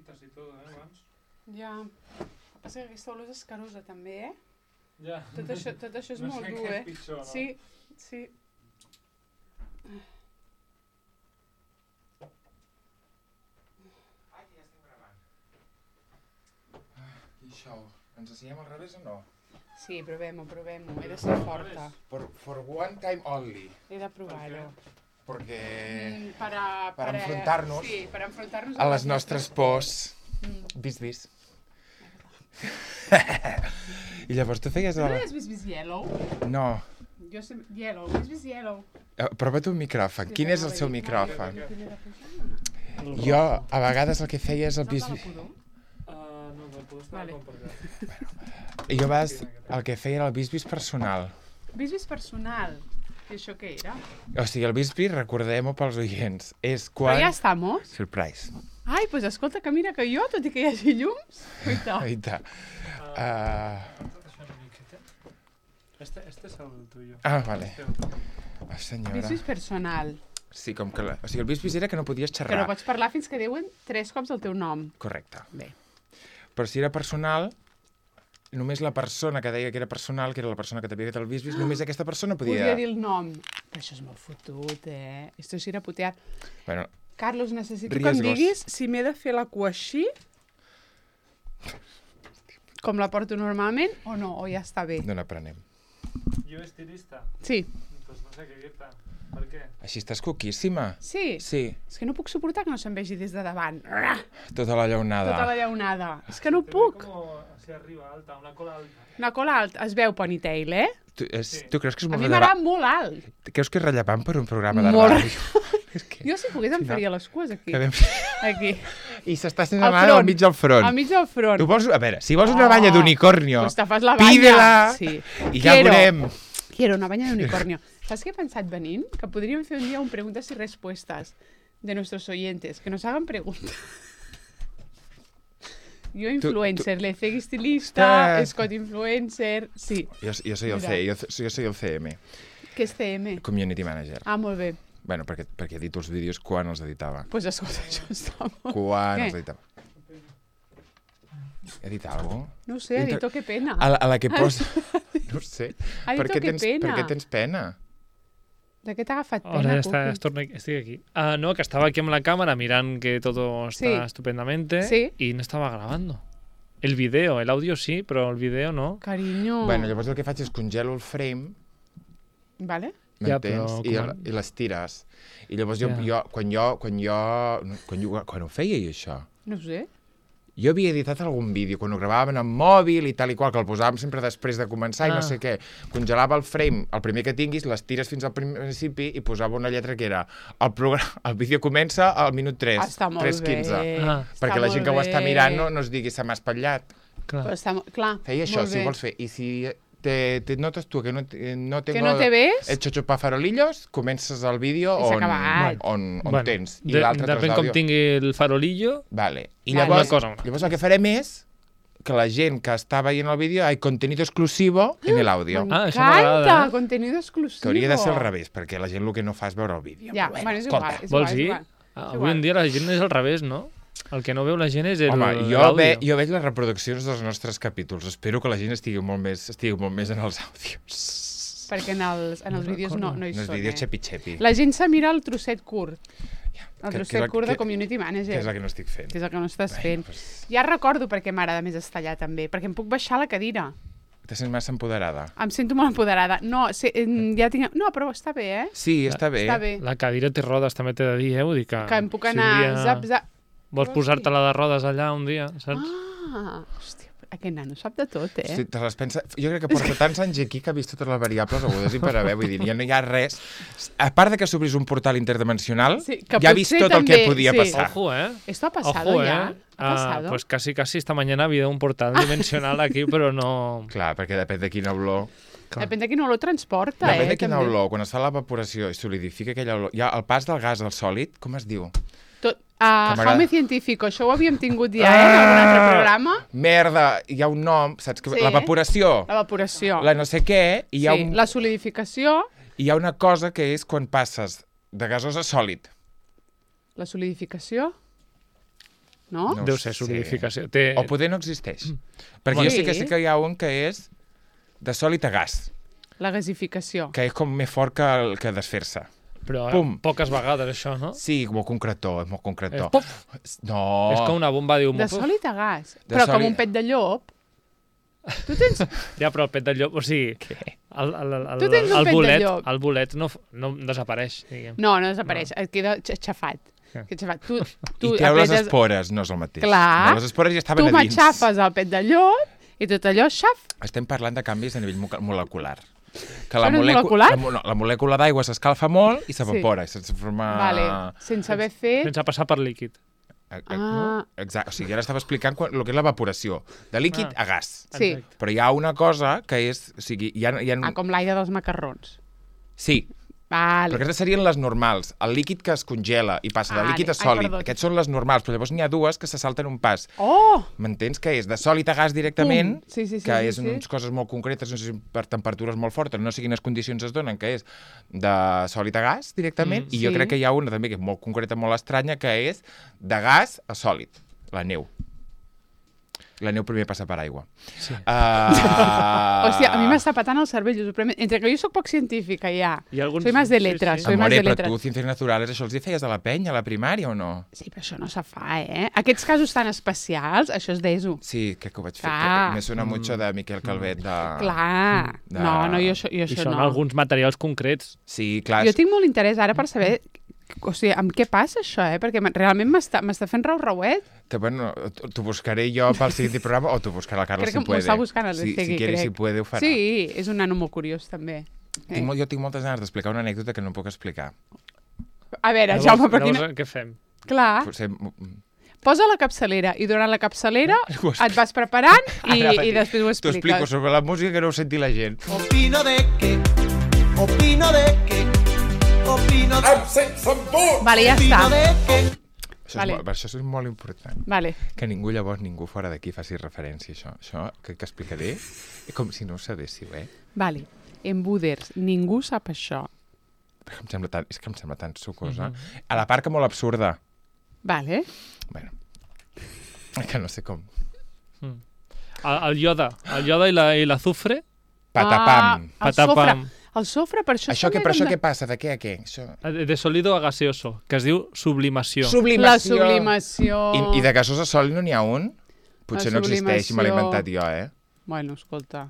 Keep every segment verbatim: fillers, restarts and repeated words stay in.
bolitas i tot, eh, abans. Ja. El que passa que aquesta olor és escarosa, també, eh? Ja. Tot això, tot això és no molt sé dur, què eh? és pitjor, no? Sí, sí. Ah, ja estem gravant. Ah, i això, ens ensenyem al revés o no? Sí, provem-ho, provem-ho. He de ser forta. For, for one time only. He de provar-ho. Perquè... Mm, per a, per per a- enfrontar-nos sí, per enfrontar-nos a les nostres pors. Mm. Vis, vis. I llavors tu feies... No El... és Vis Vis Yellow? No. Jo sé... Yellow, Vis Vis Yellow. Eh, Prova't un micròfon. Sí, Quin és el no, seu no, micròfon? no, no, no, no, no. Jo, a vegades el que feia és el Saps vis... de la pudor? Uh, no, no puedo estar Vale. con per allà. Jo a vegades el que feia era el vis-vis personal. Vis Vis personal. I això què era? O sigui, el vis-vis, recordem-ho pels oients, és Però quan... ja estamos. Surprise. Ai, doncs escolta, que mira que jo, tot i que hi hagi llums... Oita. Aita. Uh... Això una miqueta. Este, este es el tuyo. Ah, vale. Este otro. Ah, senyora. Vis Vis personal. Sí, com que... La... O sigui, el vis-vis era que no podies Que xerrar. no pots parlar fins que diuen tres cops el teu nom. Correcte. Bé. Però si era personal, només la persona que deia que era personal, que era la persona que t'havia fet el vis-vis, només aquesta persona podia... Podia dir el nom. Però això és molt fotut, eh? Esto sí era putear. Bueno, Carlos, necessito que Riesgos. em diguis si m'he de fer la cua així, com la porto normalment, o no, o ja està bé. no n'aprenem. Yo estilista. Sí. Pues no sé qué dirte. Per què? Així estàs coquíssima. Sí? Sí, És que no puc suportar que no se'm vegi des de davant. tota la llaunada. Tota la llaunada. És que no Te ve puc. como hacia arriba, alta, una cola alta. Una cola alta. Es veu ponytail, eh? Tu, és, Sí. tu creus que és A molt mi rellevant? m'agrada molt alt. Creus que és rellevant per un programa de Molt ràdio? És que... Jo, si pogués, em Sí, no. faria les cues aquí. Quedem... Aquí. I s'està sent Al la mà al front. mig del front. Al mig del front. Tu vols... A veure, si vols una Oh, banya d'unicornio, Pues te fas la banya. pídela Sí. i ja Quiero. veurem. Quiero una banya d'unicornio. Saps què he pensat venint? Que podríem fer un dia un preguntes y respuestas de nuestros oyentes, que nos hagan preguntas. Jo influencer, le Leceg estilista, Estàs- Scott influencer... Sí. Jo, jo soy el Mira. C, jo, jo soy el C M, Què és C M? Community Manager. Ah, molt bé. Bueno, perquè, perquè edito els vídeos quan els editava. Doncs pues escolta, això està molt... Quan Què? els editava. He dit alguna cosa? No ho sé, ha dit, oh, que pena. A la, a la que posa... No ho sé. Ha dit, Per oh, què que tens, pena. per què tens pena? De què t'ha agafat pena, Ahora ya está, Cookie? estorno- estoy aquí. Ah, no, que estaba aquí en la cámara, miran que todo está Sí. estupendamente Sí. y no estaba grabando. El video, el audio sí, però el video no. Carinyo. Bueno, llavors el que faig és congelo el frame, Vale? Ja, m'entens? però I, com- I les tires. I llavors jo, Ja. jo, quan jo, quan jo, quan jo, quan ho feia jo això, No ho sé. jo havia editat algun vídeo, quan ho gravàvem amb mòbil i tal i qual, que el posàvem sempre després de començar i Ah. no sé què. Congelava el frame, el primer que tinguis, les tires fins al principi i posava una lletra que era el, programa, el vídeo comença al minut tres, Està molt tres bé. quinze. Ah. Perquè Està la gent que ho molt està bé. mirant no, no es digui se m'ha espatllat. Clar. Però està, mo- clar, Feia això, molt si bé. ho vols fer. I si te, te notes tu que no, te- no tengo Que no te ves? hecho chupar farolillos, comences el vídeo I s'ha on, acabat. on, on Bueno, tens. I de, l'altre tros depèn com d'àudio. tingui el farolillo. Vale. I Vale. llavors, Una cosa, una. llavors el que farem és que la gent que està veient el vídeo hay contenido exclusivo en el audio. Ah, això M'encanta, m'agrada, eh? contenido exclusivo. Que hauria de ser al revés, perquè la gent el que no fa és veure el vídeo. Ja, Però bueno, és escolta. igual. És Vols igual, dir? és igual. Ah, És avui igual. en dia la gent és al revés, no? El que no veu la gent és el Home, jo, l'àudio. ve, jo veig les reproduccions dels nostres capítols. Espero que la gent estigui molt més, estigui molt més en els àudios. Perquè en els, en els No vídeos no, recordo. no hi En els són, vídeos eh? xepi-xepi. La gent se mira el trosset curt, el Que- que és trosset el- curt de que- Community Que Manager, és la que no estic fent. que és el que no estàs fent. Pues, Ja recordo per què m'agrada més estar allà també, perquè em puc baixar la cadira. te sents massa empoderada. Em sento molt empoderada. No, sé, em, ja tinc... no, però està bé, eh? Sí, està bé. Està bé. La cadira té rodes, també t'he de dir, eh? Vull dir que... Que em puc si un anar... dia Zap, zap. Vols Oh, posar-te-la de rodes allà un dia, saps? Ah, hòstia, aquest nano sap de tot, eh? Sí, te les pensa... Jo crec que porta tants anys aquí que ha vist totes les variables agudes i per haver, vull dir, ja no hi ha res. A part de que s'obrís un portal interdimensional, Sí, que ja ha vist potser tot el que també, podia sí. passar. Ojo, eh? ¿Esto ha pasado Ojo, ya? eh? ¿Ha Ah, pasado? pues casi, casi esta mañana ha habido un portal dimensional aquí, però no... Clar, perquè depèn de quina olor... Clar. Depèn de quin olor transporta, Depèn eh? de quina també. olor. Quan es fa l'evaporació i solidifica aquella olor... Ja, el pas del gas al sòlid, com es diu? Tot, uh, m'agrada. Jaume Científico, això ho havíem tingut ja, eh? En algun altre programa. Merda, hi ha un nom, saps? Que... Sí. L'evaporació, L'evaporació. la no sé què, i hi ha, Sí, un... la solidificació. hi ha una cosa que és quan passes de gasós a sòlid. La solidificació. no? No Deu ho ser sé. solidificació. Té... O poder no existeix. Perquè Bueno. jo sí que Sí. sé que hi ha un que és de sòlid a gas, La gasificació. que és com més fort que, el- que desfer-se. Però eh, Pum. poques vegades, això, no? Sí, molt concretó, és molt És, concretó. puf, No. és com una bomba d'hum. De sòlid a gas. De Però com sòlid- un pet de llop. Tu tens... Ja, però el pet de llop, o sigui, el, el, el, Tu tens un el pet de bolet, llop. el bolet no, no desapareix, diguem. No, no desapareix. Et queda x- xafat. Ja. Queda xafat. Tu, tu I treu les apretes- espores, no és el mateix. Clar. No, les espores ja estaven Tu a dins. m'aixafes el pet de llop i tot allò, xaf. Estem parlant de canvis a nivell mo- molecular. Que la, Això no és molecu- molecular? la, mo- no, la molècula d'aigua s'escalfa molt i s'evapora, sí. sense formar... Vale. Sense haver fet... Sense passar per líquid. Eh, eh, Ah. Exacte, o sigui, ara estava explicant quan, el que és l'evaporació, de líquid Ah. a gas. Sí. Exacte. Però hi ha una cosa que és... O sigui, hi ha, hi ha... Ah, com l'aire dels macarrons. Sí, Vale. però aquestes serien les normals. El líquid que es congela i passa de Vale. líquid a Ai, sòlid. perdó. Aquests són les normals, però llavors n'hi ha dues que se salten un pas. Oh! M'entens? Que és de sòlid a gas directament, Pum. Sí, sí, sí, que sí, és sí. unes coses molt concretes, no sé si per temperatures molt fortes, no sé quines condicions es donen, que és de sòlid a gas directament, Mm. i jo Sí. crec que hi ha una també que és molt concreta, molt estranya, que és de gas a sòlid, la neu. La neu primer passa per aigua. Sí. Uh... Hòstia, a mi m'està patant el cervell. us ho prometo. Entre que jo sóc poc científica, ja. Hi ha alguns... Soy más de sí, letras, sí. soy más Amore, de però letras. tu, Ciències Naturales, això els hi feies a la penya, a la primària, o no? Sí, però això no se fa, eh? Aquests casos tan especials, això és d'E S O. Sí, crec que ho vaig fer. Clar. Que me suena mucho de Miquel Calvet. De... Clar. de- No, no, jo, això- jo I això són no. alguns materials concrets. Sí, clar. Jo tinc molt interès ara per saber... O sigui, amb què passa això, eh? Perquè m- realment m'està m'està fent rau-rauet. Que, bueno, t'ho buscaré jo pel següent programa o t'ho buscarà la Carla Crec si que m'ho puede. està buscant el si, Segui, si quiere, crec. si puede, ho farà. Sí, és un nano molt curiós, també. Eh? Tinc, molt- jo tinc moltes ganes d'explicar una anècdota que no puc explicar. A veure, Llavors, Jaume, per llavors, quina... què fem? Clar, Potser... posa la capçalera i durant la capçalera Ho et vas preparant i, Ara, i després ho T'ho explico expliques. sobre la música que no ho senti la gent. Opino de que, opino de que, opino de Vale, ja està. opino de que. Això, Vale. és, molt- per això és molt important. Vale. Que ningú, llavors, ningú fora d'aquí faci referència a això. Això que, que explicaré és com si no ho sabéssiu, eh? Vale. Embuders, ningú sap això. Em sembla tan, és que em sembla tan sucosa. A la part que molt absurda. Vale. Bueno, és que no sé com. El, el ioda. El ioda i la, i l'azufre. Patapam. Ah, el Patapam. sofre. El sofre, per això... Això que, també però això com de- què passa? De què a què? Això... De, de sólido a gaseoso, que es diu sublimació. La sublimació. I, I de gasós a sòlid no n'hi ha un? Potser La no existeix i me l'he sublimació. inventat jo, eh? Bueno, escolta,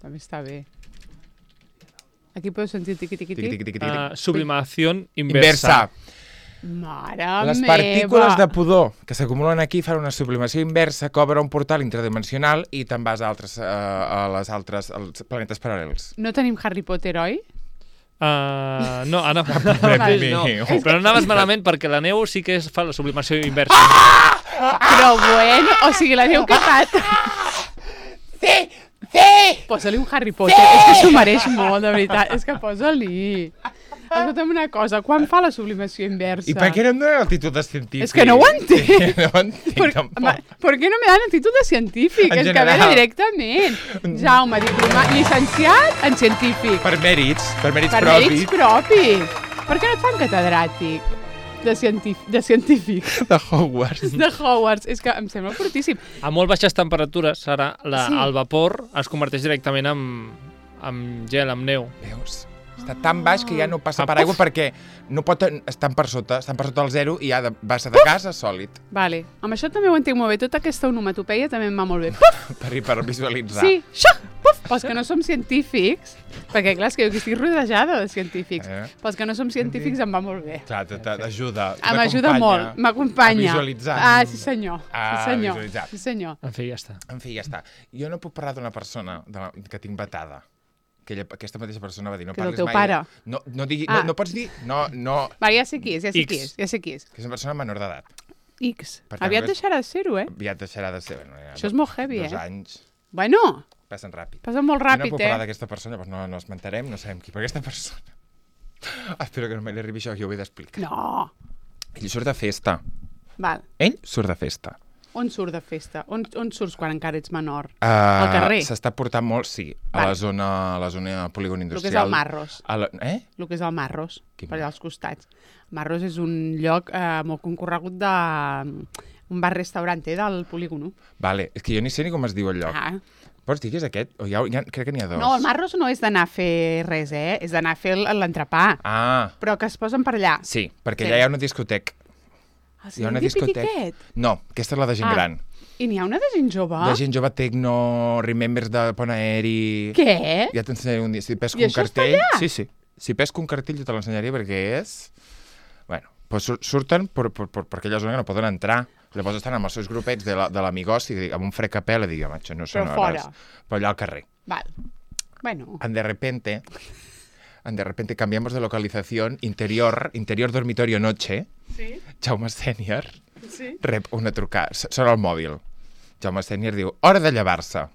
també està bé. Aquí podeu sentir tiqui-tiqui-tiqui. Tiqui, tiqui, tiqui, tiqui. Uh, sublimación inversa. Inversa. Mare Les meva. partícules de pudor que s'acumulen aquí fan una sublimació inversa que obre un portal interdimensional i te'n vas a, altres, uh, a les altres als planetes paral·lels. No tenim Harry Potter, oi? Uh, no, ara Vale. no. Però no anaves malament perquè la neu sí que es fa la sublimació inversa. Però bueno, o sigui, la neu que pat... Sí! Sí! Posa-li un Harry Potter, és que s'ho mereix molt, de veritat. És que posa-li. Escolta'm una cosa, quan fa la sublimació inversa? I per què no em donen actitudes científiques? És que no ho entenc. Sí, no ho entenc, Per, tampoc. ma, ¿Por qué no me dan actitud de científic? En És que a general. veure, directament. Jaume, diplomat, llicenciat en científic. Per mèrits, per mèrits Per propis. mèrits propis. Per què no et fan catedràtic de científic? De, científic? De Hogwarts. de Hogwarts. És que em sembla fortíssim. A molt baixes temperatures, ara la, Sí. el vapor es converteix directament en, en gel, en neu. Veus? Està tan baix que ja no passa per aigua perquè no pot, estan per sota, estan per sota el zero i ja de, passa de gas a sòlid. Vale. Amb això també ho entenc molt bé. Tota aquesta onomatopeia també em va molt bé. Per, per visualitzar. Sí, això, puf! Pels que no som científics, perquè clar, és que jo aquí estic rodejada de científics. Eh? Pels que no som científics em va molt bé. Clar, t'ajuda. Ah, m'ajuda molt, m'acompanya. A visualitzar. Ah, sí senyor. Ah, sí senyor. visualitzar. Sí senyor. En fi, ja està. En fi, ja està. Jo no puc parlar d'una persona de la, que tinc vetada. Que ella, aquesta mateixa persona va dir, no Que és el parlis teu mai... pare. De... No, no, digui, Ah. no, no pots dir... No, no... Va, ja sé qui és, ja sé X. qui és, ja sé qui és. Que és una persona menor d'edat. X. Per tant, Aviat és- deixarà de ser-ho, eh? Aviat deixarà de ser... Bueno, ja, Això és molt heavy, dos eh? anys Bueno, passen ràpid. passa molt jo no ràpid, puc parlar eh? d'aquesta persona, doncs no, no esmentarem, no sabem qui, però aquesta persona... Espero que no me li arribi això, que jo ho he d'explicar. No. Ell surt de festa. Val. Ell surt de festa. On surt de festa? On, on surts quan encara ets menor? Uh, Al carrer? S'està portant molt, sí, a Val. la zona, a la zona polígon El que industrial. és el Marros. A la, eh? El que és el Marros, Quin per allà als costats. Marros és un lloc eh, molt concorregut de, un bar-restaurant del polígono. Vale, és que jo ni sé ni com es diu el lloc. Ah. Pots dir que és aquest? O hi ha, hi ha, crec que n'hi ha dos. No, el Marros no és d'anar a fer res, eh? És d'anar a fer el- l'entrepà. Ah, Però que es posen per allà. sí, perquè Sí. allà hi ha una discoteca. Ah, Hi ha una Di discoteca. Pitiquet? No, aquesta és la de gent Ah. gran. I n'hi ha una de gent jove? De gent jove, Tecno, Remembers de Pont Aeri... Què? Ja t'ensenyaré un dia. Si pesco I un això està cartell... allà? Sí, sí. Si pesco un cartell jo te l'ensenyaré perquè és... Bueno, doncs sur- surten per, per, per, per aquella zona que no poden entrar. Llavors estan amb els seus grupets de la- de l'amigoci, la, amb un frecapel, i dic, home, això no són Però hores. fora. Però allà al carrer. Val. Bueno, En de repente, en de repente cambiamos de localización, interior, interior dormitorio noche, sí, Jaume Sènior sí. rep una trucada, s- sona el mòbil. Jaume Sènior diu, hora de llevar-se.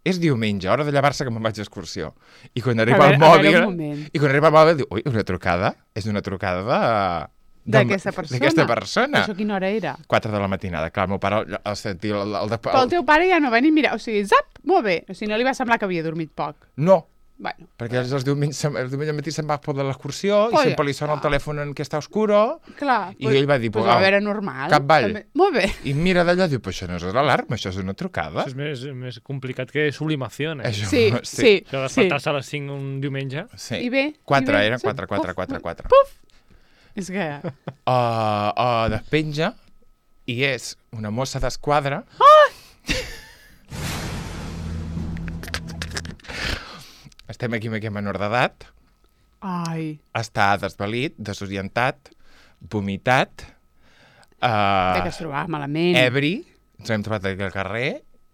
És diumenge, hora de llevar-se que me'n vaig d'excursió. I quan arriba veure- el a veure, mòbil... un moment. I quan arriba el mòbil diu, ui, una trucada? És una trucada de... D'aquesta persona. D'aquesta persona. Això quina hora era? quatre de la matinada. Clar, el meu pare, el, el, sentir el, el, el, Però el teu pare ja no va ni mirar. O sigui, zap, molt bé. O sigui, no li va semblar que havia dormit poc. No, Bueno, perquè els, els diumenges, el diumenge al matí se'n va per l'excursió i Polla. sempre li sona el telèfon en què està oscuro clar. i ell va dir, pues, "Uau, va veure normal. cap ball." També. Molt bé. i mira d'allà i diu, però això no és l'alarma, això és una trucada. Això és més, més complicat que sublimació, eh? Això, Sí, sí, Això de sí. despertar-se a les cinc un diumenge. sí. I bé, Quatre, i bé, eren sí. quatre, quatre, Puf, quatre, quatre. Puf! És que... Uh, uh, despenja i és una mossa d'esquadra. Estem aquí amb aquest menor d'edat. Ai, Està desvalit, desorientat, vomitat, de uh, que es trobava malament. ebri, ens hem trobat aquí al carrer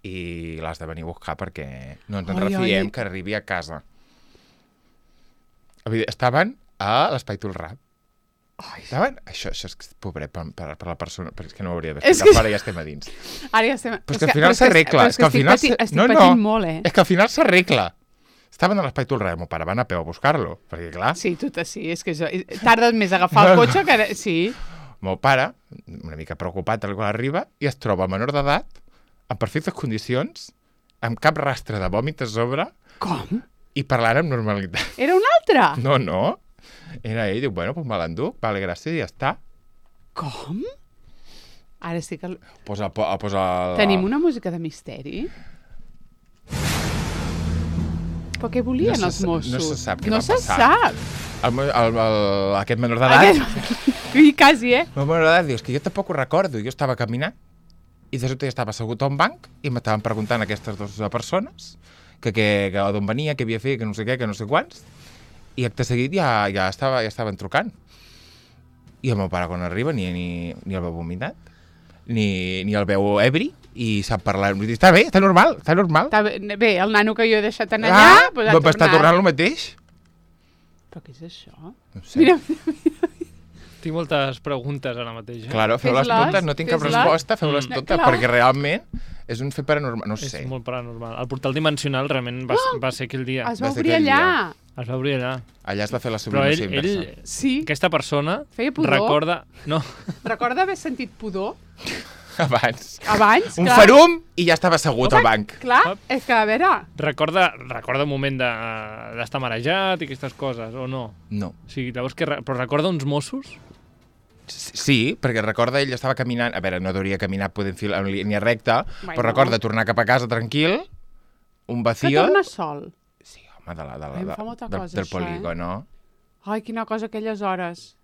i l'has de venir a buscar perquè no ens en Ai, refiem ai. que arribi a casa. Vull dir, estaven a l'Espai Tolrà. Ai, Estaven... Això, això és que, pobret per, per, per la persona, però és que no ho hauria de És fer, que- ara ja estem a dins. ara ja estem... Però és que al final s'arregla. És que, al final estic, s'ar- patint, estic no, no. patint molt, eh? És que al final s'arregla. Estaven a l'Espai Tolrà, el meu pare va anar a peu a buscar-lo, perquè clar, Sí, tu te sí, és que jo... Tardes més a agafar el No, cotxe que... Sí. el meu pare, una mica preocupat quan arriba, i es troba el menor d'edat, en perfectes condicions, amb cap rastre de vòmit a sobre, Com? i parlant amb normalitat. Era un altre? No, no. Era ell, diu, bueno, pues me l'enduc, vale, gràcies, i ja està. Com? Ara sí que... Posa, po, posa el... Tenim una música de misteri? Però què volien No se els sa- no Mossos? se sap què no va se passar. sap. El, meu- el, el, aquest menor d'edat, Aquest... I quasi, eh? el menor d'edat, diu, és que jo tampoc ho recordo, jo estava caminant, i de sobte jo estava assegut a un banc, i m'estaven preguntant aquestes dues persones, que, que, que d'on venia, què havia fet, que no sé què, que no sé quants, i acte seguit ja, ja, estava, ja estaven trucant. I el meu pare quan arriba ni, ni, ni el veu vomitat, ni, ni el veu ebri, i sap parlar. Vull dir, està bé, està normal, està normal. Està bé, bé, el nano que jo he deixat en allà, ah, pues ha va estar tornat. tornant el mateix. Però què és això? No sé. Mira, Tinc moltes preguntes ara mateix. Eh? Claro, feu-les Fes-les, totes, no tinc cap fes-les. resposta, feu-les Mm. totes, Clar. perquè realment és un fet paranormal, no És sé. molt paranormal. El portal dimensional realment va, Oh! va ser aquell dia. es va va ser obrir aquell allà. Es va obrir allà. Allà es va fer la Però ell, sublimació inversa. ell, Sí. aquesta persona Feia pudor. recorda... No, Recorda haver sentit pudor Abans. abans? Un clar. farum i ja estava assegut al Home, banc. Clar, és que a veure... recorda, recorda un moment de- d'estar marejat i aquestes coses, o no? No. O sigui, llavors, que, re- però recorda uns Mossos? Sí, perquè recorda ell estava caminant, a veure, no hauria caminar podent fil en línia recta, Bueno. però recorda tornar cap a casa tranquil, un Que vacío... torna sol. Sí, home, de la, de la, Ai, em de, fa molta del, cosa, del això, eh? polígono. Ai, quina cosa aquelles hores.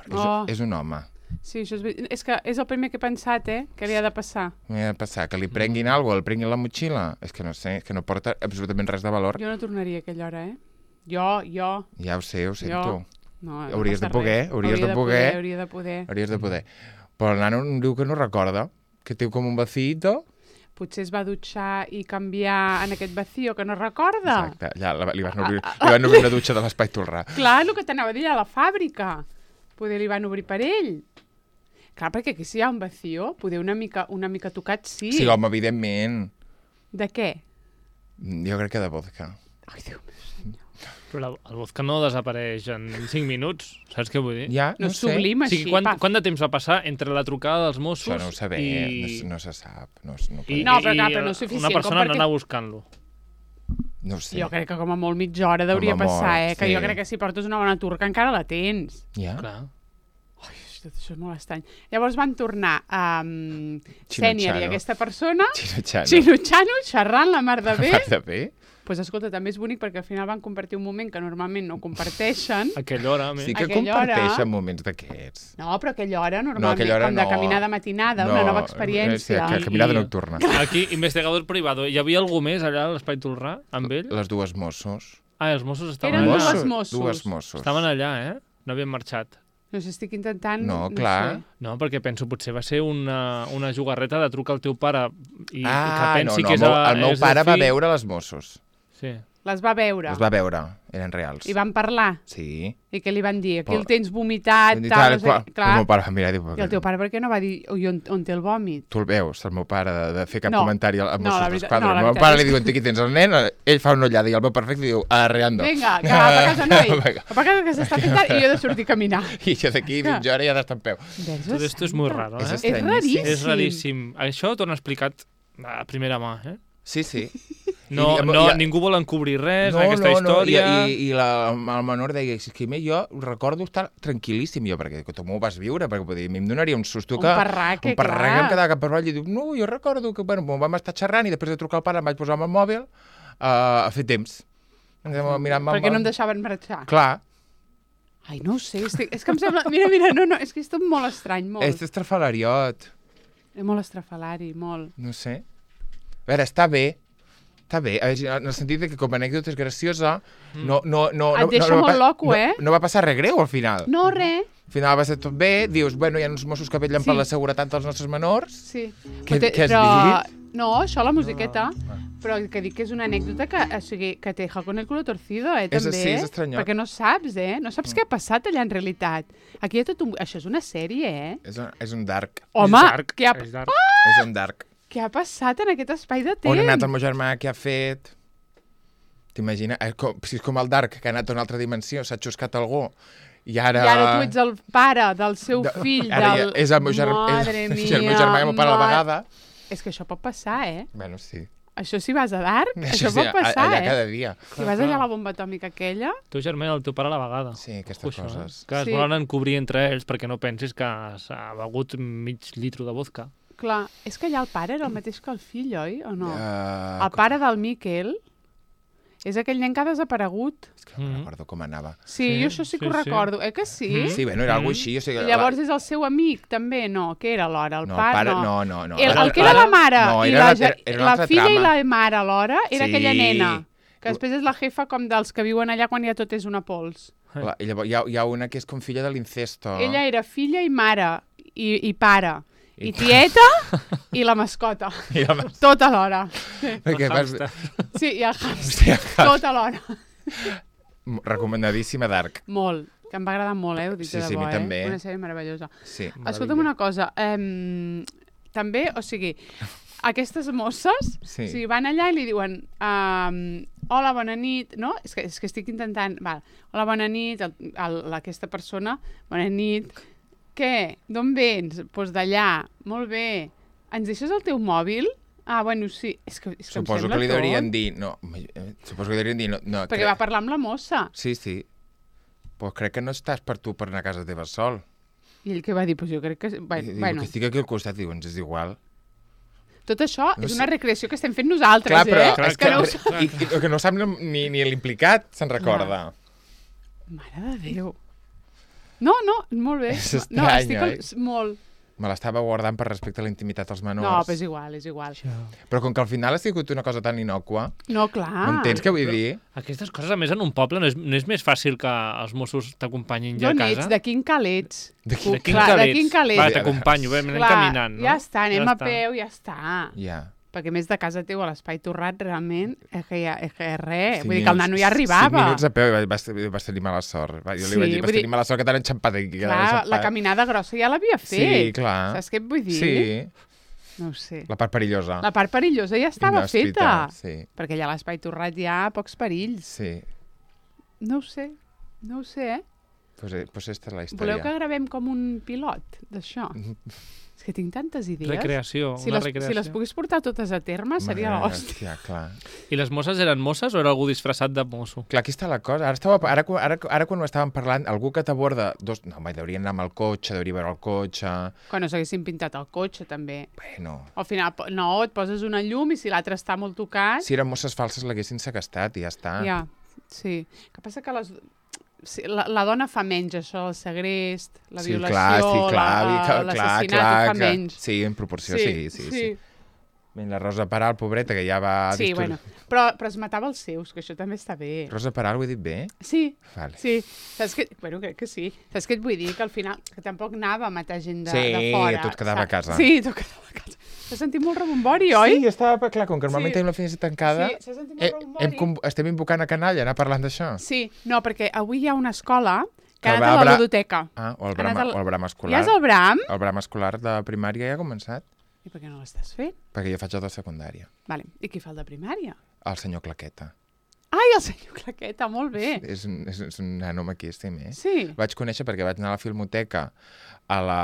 És, Oh. és un home. Sí, això és, ver- és que és el primer que he pensat, eh? Que havia de passar. M'ha de passar que li prenguin alguna cosa, el prenguin la motxilla. És que no sé, és que no porta absolutament res de valor. Jo no tornaria a aquella hora, eh? Jo, jo... Ja ho sé, ho sento. No, no Hauries de passa poder, res. hauries Hauria de poder. Hauria de poder. Hauries de poder. Però el nano em diu que no recorda, que té com un vacío. Potser es va dutxar i canviar en aquest vacío que no recorda. Exacte, ja la- li van obrir, li van obrir una dutxa de l'Espai Tolrà. Clar, el que t'anava a dir, a la fàbrica. Poder li van obrir per ell. Clar, perquè aquí si hi ha un vacío, poder una mica, una mica tocat sí. Sí, home, evidentment. De què? Jo crec que de vodka. Ai, Déu meu. Però la, el vodka no desapareix en cinc minuts, saps què vull dir? Ja, No, no, és sé. sublim O així, sigui, quant, paf. quant de temps va passar entre la trucada dels Mossos Això no ho sabem, i... no, s- no se sap. No, s- no, I, podem- No, però i clar, però no és suficient una com persona perquè- anar buscant-lo. no ho sé. Jo crec que com a molt mitja hora hauria Com a molt, passar, eh? Que sí. jo crec que si portes una bona turca encara la tens. Ja? Clar. tot això és molt estrany. Llavors van tornar a um, Chino Sènior i Chano. aquesta persona, Xino Xano. Chino Chano, xerrant la mar de bé. Mar de bé? Pues escolta, també és bonic perquè al final van compartir un moment que normalment no comparteixen. A aquella hora, a més. Sí que Aquella hora- comparteixen moments d'aquests. No, però aquella hora normalment, No, aquella hora com de no. caminada matinada, una nova experiència. Sí, que caminada I- nocturna. Aquí, investigador privado. Hi havia algú més allà a l'Espai Tolrà, amb ell? Les dues Mossos. Ah, els Mossos estaven Eren allà. dues Mossos. Dues Mossos. Estaven allà, eh? No havien marxat. No sé, estic intentant... No, no clar. sé. No, perquè penso, potser va ser una, una jugarreta de trucar al teu pare i, i que Ah, no, pensi no, que és, el meu- a, el meu és pare va fill. veure les Mossos. Sí. Les va veure. Les va veure, eren reals. I van parlar. Sí. I què li van dir? Aquí Però- el tens vomitat, I tal, tal, no sé... qual. Clar. El meu pare va mirar i diu... I el teu pare per què no va dir ui, on, on té el vòmit? Tu el veus, el meu pare, de, de fer cap No. comentari al No, Mossos la veritat- d'Esquadra. no, la el meu veritat pare és li diu, aquí tens el nen, ell fa una ullada i el meu perfecte diu, arreando. Vinga, que va per casa, noi. Vinga. Va per casa que s'està fent tard i jo he de sortir a caminar. I jo d'aquí mitja hora ja ha d'estar en peu. Verge Tot esto és molt santa. raro, És eh? És estranyíssim. raríssim. És raríssim. Això t'ho han explicat a primera mà, eh? Sí, sí. No, I- i- no, i- ningú vol encobrir res no, en aquesta no, història. No, i, i, i la, el menor deia, és que jo recordo estar tranquil·líssim, jo, perquè que tu m'ho vas viure, perquè vull dir, a mi em donaria un susto Un que... parraque, un parraque, clar. em quedava cap per avall i diu, no, jo recordo que, bueno, vam estar xerrant i després de trucar al pare em vaig posar amb el mòbil uh, a fer temps. Mirant Perquè no em deixaven marxar. Clar, Ai, no ho sé, estic, és que em sembla... Mira, mira, no, no, és que és tot molt estrany, molt. és estrafalariot, És molt estrafalari, molt. no sé. A veure, està bé, està bé, a veure, en el sentit de que com a anècdota és graciosa, no, no, no, Et no, deixa no, no, molt va- loco, no, eh? No va passar res greu al final. No, res. Al final va ser tot bé, dius, bueno, hi ha uns Mossos que vetllen Sí. per la seguretat dels nostres menors. Sí. Què- Però té- què has però... dit? No, això, la musiqueta. Però que dic que és una anècdota que, o sigui, que te deja con el culo torcido, eh, És- també. sí, és estranyot. Perquè no saps, eh? No saps què ha passat allà en realitat. Aquí hi ha tot un... Això és una sèrie, eh? És un, és un dark, Home, És dark, què ha, és dark. és un dark. què ha passat en aquest espai de temps? On ha anat el meu germà, què ha fet? T'imagines? Eh, com, si és com el dark, que ha anat a una altra dimensió, s'ha xuscat algú, i ara... I ara tu ets el pare del seu de- fill, ara del... ja és el meu germà, Madre és, mia, és el meu germà i el meu pare a la ma- vegada. És que això pot passar, eh? Bueno, sí. Això si vas a Dark, això, sí, pot passar, allà eh? cada dia. Si vas allà a la bomba atòmica aquella... Tu germà i el teu pare a la vegada. Sí, aquestes Això, coses. eh? Que es Sí. volen encobrir entre ells perquè no pensis que s'ha begut mig litro de vodka. Clar, és que allà el pare era el mateix que el fill, oi? O no? Uh, El pare del Miquel és aquell nen que ha desaparegut. És que no Mhm. recordo com anava. Sí, Sí, jo això sí que sí, ho sí. recordo. Eh que sí? Mhm. Sí, bueno, era Mm. alguna així. O sigui, I llavors és el seu amic, també, no? Què era alhora? El no, pare? pare, no. no, no, no. El, Ara- el que era ara- la mare no, i era la, una- ge- era una la altra filla trama. i la mare alhora era Sí. aquella nena. Que després és la jefa com dels que viuen allà quan ja tot és una pols. La, I llavors hi ha, hi ha una que és com filla de l'incesto. Ella era filla i mare i, i pare. I I- tieta i la mascota. I la mas- Tot alhora. Perquè vas... Hàmster. Sí, i el hamster. Hòstia, Tot alhora. recomanadíssima d'Arc. Molt. Que em va agradar molt, eh? Ho dic Sí, de sí, a debò, mi també. eh? Una sèrie meravellosa. Sí. Escolta'm una cosa. Eh, també, o sigui, aquestes mosses, Sí. o sigui, van allà i li diuen um, hola, bona nit, no? És que, és que estic intentant... Val. Hola, bona nit, el, el, aquesta persona, bona nit. Què? D'on vens? Doncs pues d'allà. Molt bé. Ens deixes el teu mòbil? Ah, bueno, sí. És que, és que em Suposo sembla que li tot. deurien dir... No, eh, suposo que li deurien dir... No, no, Perquè crec- va parlar amb la mossa. Sí, sí. Pues crec que no estàs per tu per anar a casa teva sol. I ell què va dir? Pues jo crec que... I Bueno, diu, bueno. que estic aquí al costat, diu, ens és igual. Tot això No és sé. una recreació que estem fent nosaltres, Clar, però eh? Clar, és que, no ho clar. i, i, que no sap ni, ni l'implicat, se'n recorda. Mare de Déu. No, no, molt bé. És no, estrany, estic al... oi? molt. Me l'estava guardant per respecte a la intimitat dels menors. No, però és igual, és igual. Però com que al final ha sigut una cosa tan innòcua, No, clar. m'entens què vull dir? Aquestes coses, a més, en un poble no és, no és més fàcil que els Mossos t'acompanyin ja a D'on casa? ets? De quin cal ets? De quin- De quin Clar, cal de ets? quin cal Va, ets? t'acompanyo, bé, anem Clar, caminant, no? ja està, anem Ja a peu, ja està. Ja. Perquè a més de casa teu a l'Espai Torrat, realment, és que, ja, és que res. Cinc Vull dir que el minuts- nano ja arribava. Cinc minuts a peu i vas, vas tenir mala sort. Va, jo Sí, li vaig dir, vas vull dir- tenir mala sort que t'han enxampat aquí. que t'han Clar, la enxampat. caminada grossa ja l'havia fet. Sí, clar. Saps què et vull dir? Sí, No ho sé. la part perillosa. La part perillosa ja estava Inhòspita, feta. Sí, Perquè allà a l'Espai Torrat hi ha pocs perills. sí. No ho sé, no ho sé, eh? Pues, eh, pues esta és la història. Voleu que gravem com un pilot d'això? És que tinc tantes idees. Recreació, si una les, recreació. Si les pogués portar totes a terme, seria Mare, l'hòstia. hòstia, clar. I les mosses eren mosses o era algú disfressat de mosso? Clar, aquí està la cosa. Ara, estava, ara, ara, ara quan ho estàvem parlant, algú que t'aborda... Dos... No, home, deurien anar amb el cotxe, deuria veure el cotxe... Quan no s'haguessin pintat el cotxe, també. Bueno... Al final, no, et poses una llum i si l'altre està molt tocat... Si eren mosses falses l'haguessin segrestat i ja està. Ja, sí. El que passa que les... Sí, la, la dona fa menys, això, el segrest, la sí, violació, clar, sí, clar, l'assassinat clar, ho fa que... menys. Sí, en proporció, sí, sí, sí. sí. sí. La Rosa Peral, pobreta, que ja va... Sí, distur... bueno, però, però es matava els seus, que això també està bé. Rosa Peral, ho he dit bé? Sí, vale. sí. Saps que... Bueno, crec que sí. Saps què et vull dir? Que al final, que tampoc anava a matar gent de, sí, de fora. Sí, tot quedava saps? a casa. Sí, tot quedava a casa. S'ha sentit molt rebombori, oi? Sí, estava, clar, com que normalment sí. tenim la finestra tancada, sí, s'ha sentit molt eh, rebombori. Hem, estem invocant a canalla, anar parlant d'això. Sí, no, perquè avui hi ha una escola que el ha anat a la bra... ludoteca. Ah, o el Bram, al... o el Bram escolar. Ja és el Bram? El Bram escolar de primària ja ha començat. I per què no l'estàs fent? Perquè jo faig el de secundària. Vale. I qui fa el de primària? El senyor Claqueta. Ai, el senyor Claqueta, molt bé. És un, és, és un nano maquíssim, eh? Sí. El vaig conèixer perquè vaig anar a la Filmoteca, a la...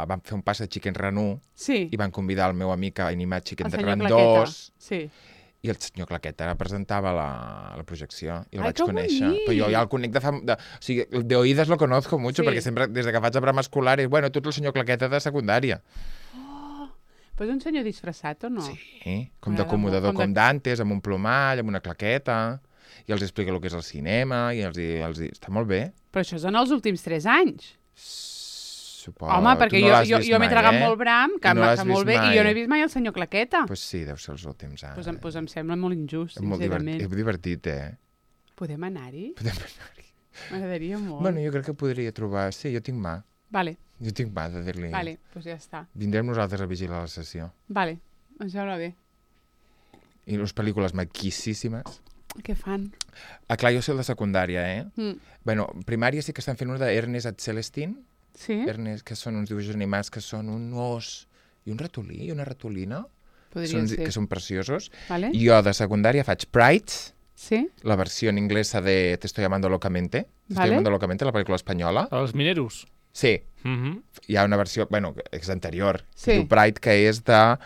vam fer un pas de Chicken Ranu sí. i van convidar el meu amic a animar Chicken Run dos. dos. Sí. I el senyor Claqueta presentava la, la projecció i el Ai, vaig conèixer. bonic. Però jo ja el conec de fa... De, o sigui, de oïdes lo conozco mucho, sí. perquè sempre, des que faig a Bram escolar, és, bueno, tu ets el senyor Claqueta de secundària. Oh, però és un senyor disfressat o no? Sí, com d'acomodador, com, com d'antes, amb un plomall, amb una claqueta, i els explica el que és el cinema, i els, i els... està molt bé. Però això és en els últims tres anys. Suposo. Home, perquè no jo, jo, jo m'he tragat eh? molt Bram, que, no que molt bé, mai. I jo no he vist mai el senyor Claqueta. Doncs pues sí, deu ser els últims anys. Doncs pues em, pues em sembla molt injust, és molt sincerament. Divertit, és divertit, eh? Podem anar-hi? Podem anar-hi. M'agradaria molt. Bueno, jo crec que podria trobar... Sí, jo tinc mà. Vale. Jo tinc mà de dir-li... Vale, doncs pues ja està. Vindrem nosaltres a vigilar la sessió. Vale, em sembla bé. I les pel·lícules maquíssimes. Què fan? Ah, clar, jo soc de secundària, eh? Mm. Bueno, primària sí que estan fent una d'Ernest at Celestine. Sí? Ernest, que són uns dibuixos animats que són un os i un ratolí i una ratolina. Podria són, ser. Que són preciosos. Vale. Jo de secundària faig Pride, sí? la versió en inglesa de Te estoy llamando locamente. Te vale. estoy llamando locamente, la pel·lícula espanyola. Els mineros. Sí. Mm -hmm. Hi ha una versió, bueno, és anterior, sí. que diu Pride, que és de...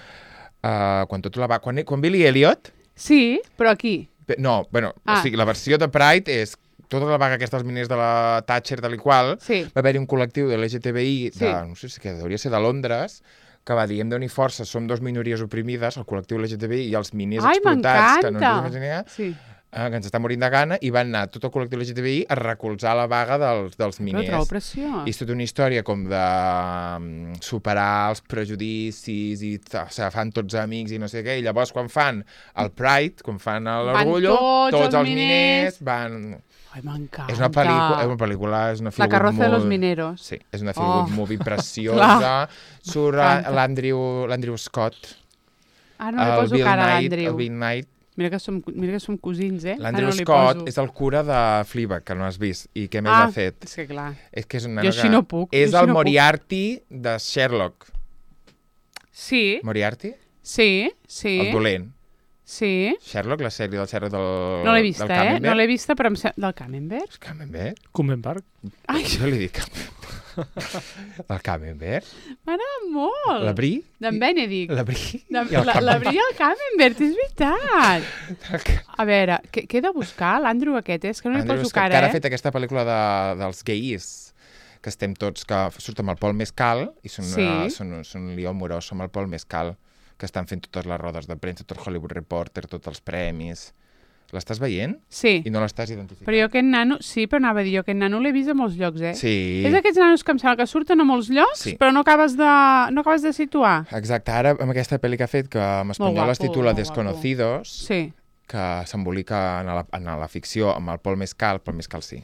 Uh, quan tot la va... Quan, quan Billy Elliot... Sí, però aquí. No, bueno, ah. o sigui, la versió de Pride és tota la vaga aquesta dels miners de la Thatcher, tal i qual, sí. va haver-hi un col·lectiu de l'L G T B I, de, sí. no sé si que hauria ser de Londres, que va dir, hem d'unir forces, som dos minories oprimides, el col·lectiu L G T B I i els miners Ai, explotats, que no ens m'encanta! imaginem, Sí. eh, que ens està morint de gana, i van anar tot el col·lectiu L G T B I a recolzar la vaga dels, dels miners. Però trobo preciós. I és tota una història com de um, superar els prejudicis i o sigui, fan tots amics i no sé què, i llavors quan fan el Pride, quan fan l'orgullo, tots, tots els miners, miners van... Ai, m'encanta. És una pel·lícula, és una pel·lícula, és una La carroza molt... de los mineros. Sí, és una feel good oh. movie preciosa. Surt l'Andrew l'Andrew Scott. Ah, no li poso cara a l'Andrew. El Bill Knight. Mira que som, mira que som cosins, eh? L'Andrew ah, no Scott poso. és el cura de Fleabag, que no has vist. I què més ah, ha fet? és que clar. És que és una jo així no puc. És el el no Moriarty puc. de Sherlock. Sí. Moriarty? Sí, sí. El dolent. Sí. Sherlock, la sèrie del Sherlock del No l'he vista, del eh? No l'he vista, però em se... Del Camembert? Camembert? Camembert? Ai, jo li dic el Camembert? M'agrada molt. La Brie? D'en Benedict. La Brie de... i el la, la Brie i el Camembert, és veritat. A veure, què, què he de buscar? L'Andrew aquest, és que no li Andrew poso Scott, cara, que ara eh? ha fet aquesta pel·lícula de, dels gais, que estem tots, que surt amb el Paul Mescal, i són, sí. una, són, són un lió amorós amb el Paul Mescal, que estan fent totes les rodes de premsa, tot el Hollywood Reporter, tots els premis. L'estàs veient? Sí. I no l'estàs identificant. Però jo aquest nano, sí, però anava a dir, jo aquest nano l'he vist a molts llocs, eh? Sí. És aquests nanos que em sembla que surten a molts llocs, sí. però no acabes de, no acabes de situar. Exacte, ara amb aquesta pel·li que ha fet, que en espanyol es titula Desconocidos, sí. que s'embolica en, la, en la ficció amb el Paul Mescal, Paul Mescal sí.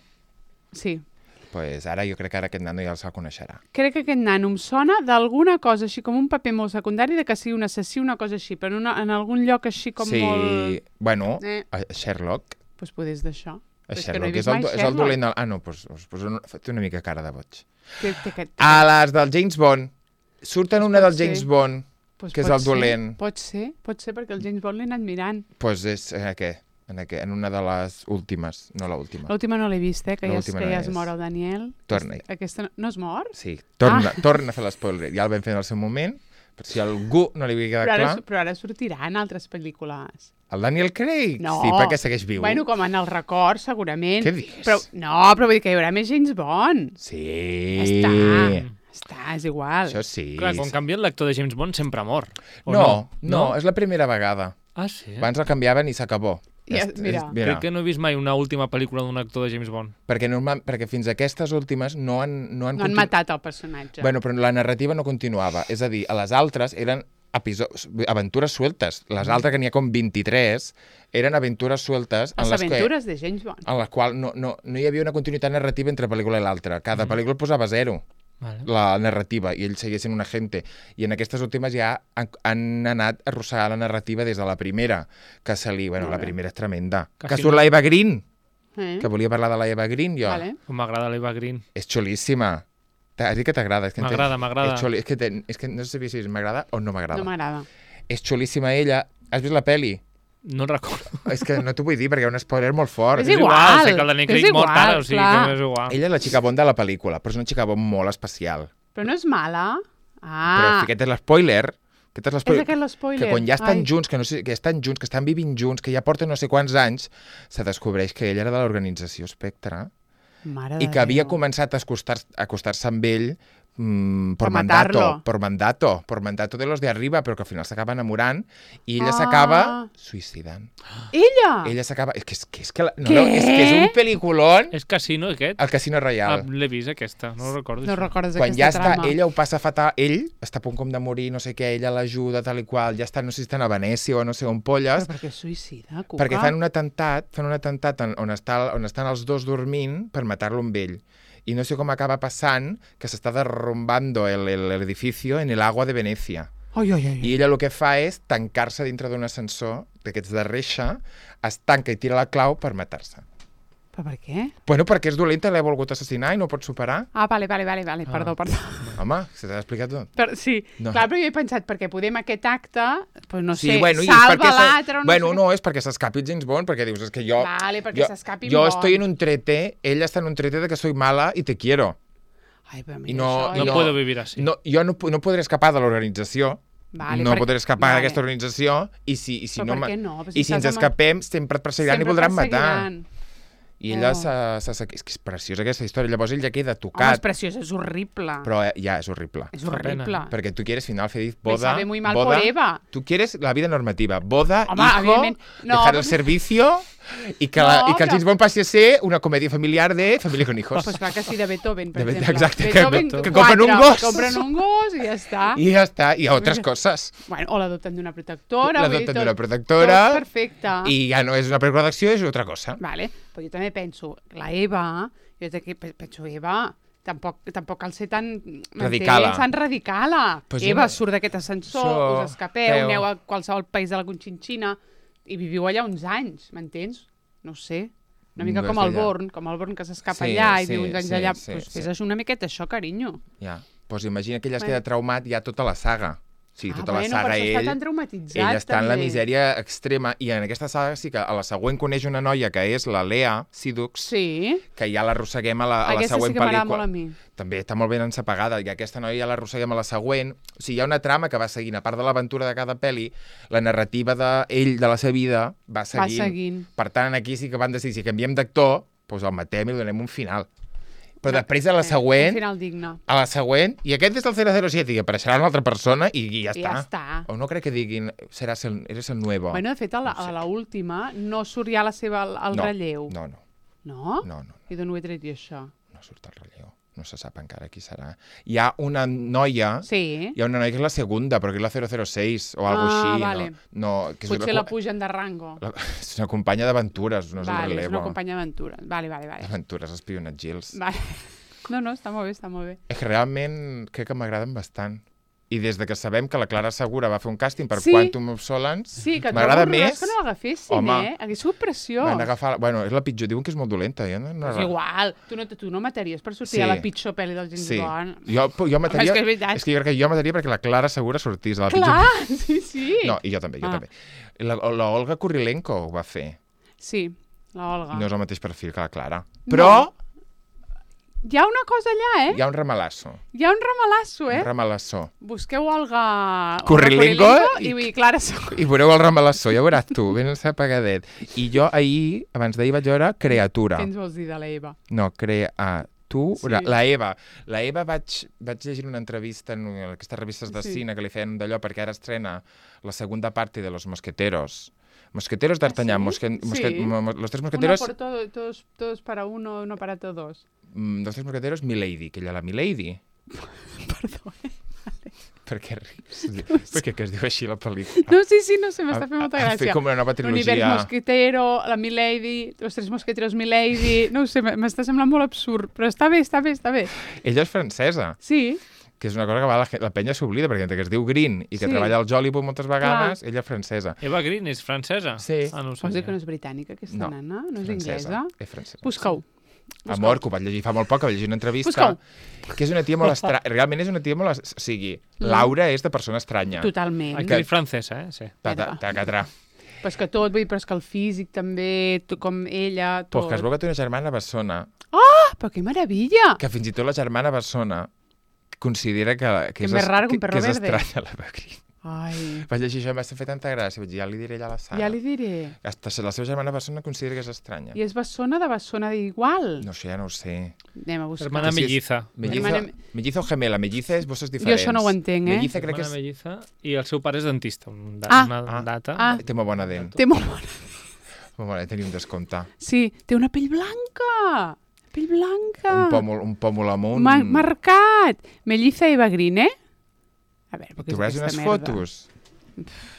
Sí. Pues ara jo crec que ara aquest nano ja se'l coneixerà. Crec que aquest nano em sona d'alguna cosa així, com un paper molt secundari, de que sigui un assassí, una cosa així, però en, una, en algun lloc així com sí. molt... Sí, bueno, eh. a Sherlock. Doncs pues poder és d'això. A és Sherlock, que no és, el, és el dolent... Ah, no, doncs pues, pues, pues, té una mica cara de boig. Té, té, té, té. A les del James Bond. Surten pues una del ser. James Bond, pues que és el ser. dolent. Pot ser, pot ser, perquè el James Bond l'he anat mirant. Doncs pues és, eh, què? en, aqu... en una de les últimes, no l'última. L'última no l'he vist, eh, que, ja, es, L'última que no ja es és. mor el Daniel. Torna-hi. Aquesta no, no es mor? Sí, torna, Ah. torna a fer l'espoiler. Ja el vam fer en el seu moment, per si a algú no li havia quedat Però ara, clar. però ara sortiran altres pel·lícules. El Daniel Craig? No. Sí, perquè segueix viu. Bueno, com en el record, segurament. Què dius? Però, no, però vull dir que hi haurà més James Bond. Sí. Ja està. Està, és igual. Això sí. Clar, quan canvien l'actor de James Bond sempre mor. O No, no, no, és la primera vegada. Ah, sí? Abans el canviaven i s'acabó. Ja, Est- mira. és- Crec que no he vist mai una última pel·lícula d'un actor de James Bond. Perquè, normal, perquè fins a aquestes últimes no han... No han, No han continu- matat el personatge. Bueno, però la narrativa no continuava. És a dir, a les altres eren episodis, aventures sueltes. Les altres, que n'hi ha com vint-i-tres, eren aventures sueltes en Les les, aventures de James Bond. que, en les quals no, no, no hi havia una continuïtat narrativa entre pel·lícula i l'altra. Cada pel·lícula posava zero. Vale. La narrativa, i ell seguia sent un agente. I en aquestes últimes ja han, han anat a arrossegar la narrativa des de la primera, que se li... Bueno, Molt la bé. primera és tremenda. Quasi Que surt no- la Eva Green, Eh? que volia parlar de la Eva Green, jo. Vale. Com m'agrada l'Eva Green. És xulíssima. T'has dit que t'agrada. És que entenc- M'agrada, m'agrada. És, xuli... és, que ten... és que no sé si m'agrada o no m'agrada. No m'agrada. És xulíssima ella. Has vist la peli? No el recordo. És que no t'ho vull dir perquè hi ha un spoiler molt fort. És igual, sé que el Daniel és Craig mor igual, ara, o sigui clar. que m'és igual. Ella és la xica Bond de la pel·lícula, però és una xica Bond molt especial. Però no és mala? Però Ah, aquest és l'espoiler. Aquest és és l'espoiler. aquest l'espoiler. Que quan ja estan Ai. junts, que, no sé, que estan junts, que estan vivint junts, que ja porten no sé quants anys, se descobreix que ell era de l'organització Spectre Mare i de que havia Déu. començat a acostar- a acostar-se amb ell mm, por Per mandato, matar-lo. por mandato, por mandato de los de arriba, però que al final s'acaba enamorant i ella Ah. s'acaba suïcidant. Ella? Ella s'acaba... És que és, que és, que la... no, Què? no, és que és un pel·lículon, És Casino, aquest? el Casino Ah, Royale. l'he vist, aquesta. No ho recordo. No això. recordes Quan aquesta ja està, trama. ella ho passa fatal, ell està a punt com de morir, no sé què, ella l'ajuda, tal i qual, ja està, no sé si estan a Venècia o no sé on polles, Però per què suïcida, Cuca? perquè fan un atemptat, fan un atemptat en- on, està, on estan els dos dormint per matar-lo amb ell. I no sé com acaba passant que s'està derrumbando el, el, el edificio en el agua de Venècia. Ai, ai, ai. I ella el que fa és tancar-se dintre d'un ascensor d'aquests de reixa, es tanca i tira la clau per matar-se. Però per què? Bueno, perquè és dolenta, l'ha volgut assassinar i no pot superar. Ah, vale, vale, vale, vale. Ah. perdó, perdó. Home, se t'ha explicat tot. Per, sí, No. clar, però jo he pensat, perquè podem aquest acte, doncs no sé, i és salva perquè s'ha- l'altre o no bueno, sé què. no, és perquè s'escapi el James Bond, perquè dius, és que jo... Vale, perquè jo, s'escapi Jo Bond. estoy en un trete, ella està en un trete de que soy mala y te quiero. Ai, però I mira, no, això... No i puedo vivir así. No, jo no, pu- no podré escapar de l'organització, Vale, no perquè- podré escapar vale. d'aquesta organització, i si, i si Però no... per ma- què no? Però si I si ens estàs amb- escapem, sempre et perseguiran i voldran matar. perseguiran. I ella Oh. s'ha... s'ha- és que és preciosa aquesta història. Llavors ell ja queda Home, és tocat, preciós, és horrible. però eh, ja és horrible. És Fa horrible. pena. Perquè tu quieres final feliz, Me boda, sabe muy mal boda, por Eva. tú quieres la vida normativa, boda, Home, hijo, evidentment. No, dejar però- el servicio i que, No, la, i que el però- James Bond passi a ser una comèdia familiar de família con hijos. Pues clar que sí, de Beethoven, per De Be- exemple. exacte, que- Beethoven, que quatre, compren un gos. Compren un gos i ja està. I ja està, i altres coses. Bueno, o l'adopten d'una protectora. vull dir, L'adopten tot- d'una protectora. Tot perfecte. I ja no és una pel·lícula d'acció, és otra cosa. Vale, però jo també penso, la Eva, jo també pe- penso, Eva, tampoc, tampoc cal ser tan... m'entens? Radicala. Tan radicala. Pues Eva, jo- surt d'aquest ascensor, So- us escapeu, Feu. aneu a qualsevol país de la Conchinchina i viviu allà uns anys, m'entens? No ho sé. Una mica No com és el allà. Born, com el Born que s'escapa Sí, allà i sí, viu uns anys sí, allà. sí, pues sí. fes una miqueta això, carinyo. Ja. Pues imagina que ella es Bueno. queda traumat ja tota la saga. Sí, ah, tota bueno, la saga per això està ell... tan traumatitzat, Ell està en la també. misèria extrema i en aquesta saga sí que a la següent coneix una noia que és la Lea Seydoux, Sí, que ja l'arrosseguem a la, a la aquesta següent sí que m'agrada pel·lícula. molt a mi. També està molt ben ensapagada i aquesta noia ja l'arrosseguem a la següent. O sigui, hi ha una trama que va seguint, a part de l'aventura de cada pel·li, la narrativa d'ell, de la seva vida, va seguint. Va seguint. Per tant, aquí sí que van decidir, si canviem d'actor, doncs el matem i li donem un final. Però després a la Un següent, final digne. a la següent, i aquest és el zero zero siete, i apareixerà una altra persona i, i ja I està. ja està. O no crec que diguin, seràs el, eres el nuevo. Bueno, de fet, a la, No sé. a la última no surt ja la seva, el no, relleu. No, no, No? no, no, I d'on ho he tret jo, això? no surt el relleu. No se sap encara qui serà. Hi ha una noia... Sí. Hi ha una noia que és la segunda, però que és la zero zero seis o alguna Ah, així. vale. No, no, que és Potser una, la pugen de rango. la, és una companya d'aventures, no és vale, un és relevo. una companya d'aventura. Vale, vale, vale. D'aventures, espionatgils. vale. No, no, està molt bé, està molt bé. És que realment crec que m'agraden bastant. I des de que sabem que la Clara Segura va fer un càsting per Sí. Quantum of Solace, Sí, que et m'agrada trobo horrorós més... que no l'agafessin, Home. eh? Hauria sigut preciós. Van agafar... Bueno, és la pitjor. Diuen que és molt dolenta. Jo no, no... És igual. Tu no, tu no mataries per sortir Sí. a la pitjor pel·li del James Sí. Bond. Jo, jo mataria... és que és veritat. és que jo crec que jo mataria perquè la Clara Segura sortís a la Clar, pitjor... sí, sí. No, i jo també, jo Ah. també. La, la Olga Kurilenko ho va fer. Sí, la Olga. No és el mateix perfil que la Clara. Però Hi ha una cosa allà, eh? hi ha un ramalasso. Hi ha un ramalasso, eh? Un ramalasso. Busqueu Olga... Corrilingo Olga i- i, i Clara Só. I veureu el ramalasso, ja veuràs tu, ben apagadet. I jo ahir, abans d'ahir vaig veure Creatura. Què ens vols dir de l'Eva? No, Creatura. Sí. La Eva. La Eva vaig, vaig llegir una entrevista en aquestes revistes de Sí. cine que li feien d'allò perquè ara estrena la segunda parte de Los Mosqueteros. Mosqueteros d'Artagnan. ¿Ah, sí? Mosque, mosque, Sí. mo- mo- los tres mosqueteros... Uno por todo, todos, todos para uno, uno para todos. Mm, los tres mosqueteros, Milady, que ella la Milady. Perdó, eh? Per què rius? Per què que es diu així la pel·lícula? No, sí, sí, no sé, m'està fent molta Han fet gràcia. com una nova L'univers trilogia. mosquetero, la Milady, los tres mosqueteros Milady... No ho sé, m'està semblant molt absurd, però està bé, està bé, està bé. Ella és francesa, Sí, que és una cosa que va, la, ge- la penya s'oblida, perquè entre que es diu Green i que Sí. treballa al Jollywood moltes vegades, ella és francesa. Eva Green és francesa? Sí. Ah, no ho vols dir sabia. que no és britànica, aquesta No, nana? No és francesa. inglesa? És francesa. Busca-ho. Amor, que ho vaig llegir fa molt poc, que vaig llegir una entrevista, Busca-ho. que és una tia molt estranya. Realment és una tia molt... es- O sigui, Laura és de persona estranya. Totalment. Actriz francesa, eh? Sí. Ta- ta- ta- catra. Però és que tot, vull dir, però és que el físic també, tu, com ella, Pues tot. que es veu que té una germana bessona, Ah, però que meravella! que fins i tot la germana bessona considera que, que, Que és, més es- raro que un que, perro que és verde. estranya la Eva Green. Ai, Vaig llegir això i m'ha fet tanta gràcia. Vaig dir, ja li diré allà a la sala. ja li diré. Hasta la seva germana bessona considera que és estranya. I és bessona de bessona d'igual. No sé, ja no ho sé. Anem a buscar. Hermana Que si és- melliza. Melliza, Hermana- melliza o gemela. Melliza és bosses Jo diferents. això no ho entenc, eh? Melliza crec que Hermana és... melliza. I el seu pare és dentista. Un da Ah. una Ah. data. Ah. Té molt bona dent. Té molt bona. Molt bona, tenia un descompte. Sí, té una pell blanca. Pell blanca. Un pòmul, un pòmul amunt. Ma marcat. Melliza Eva Green, eh? A veure, perquè és Trobaràs aquesta unes merda. fotos?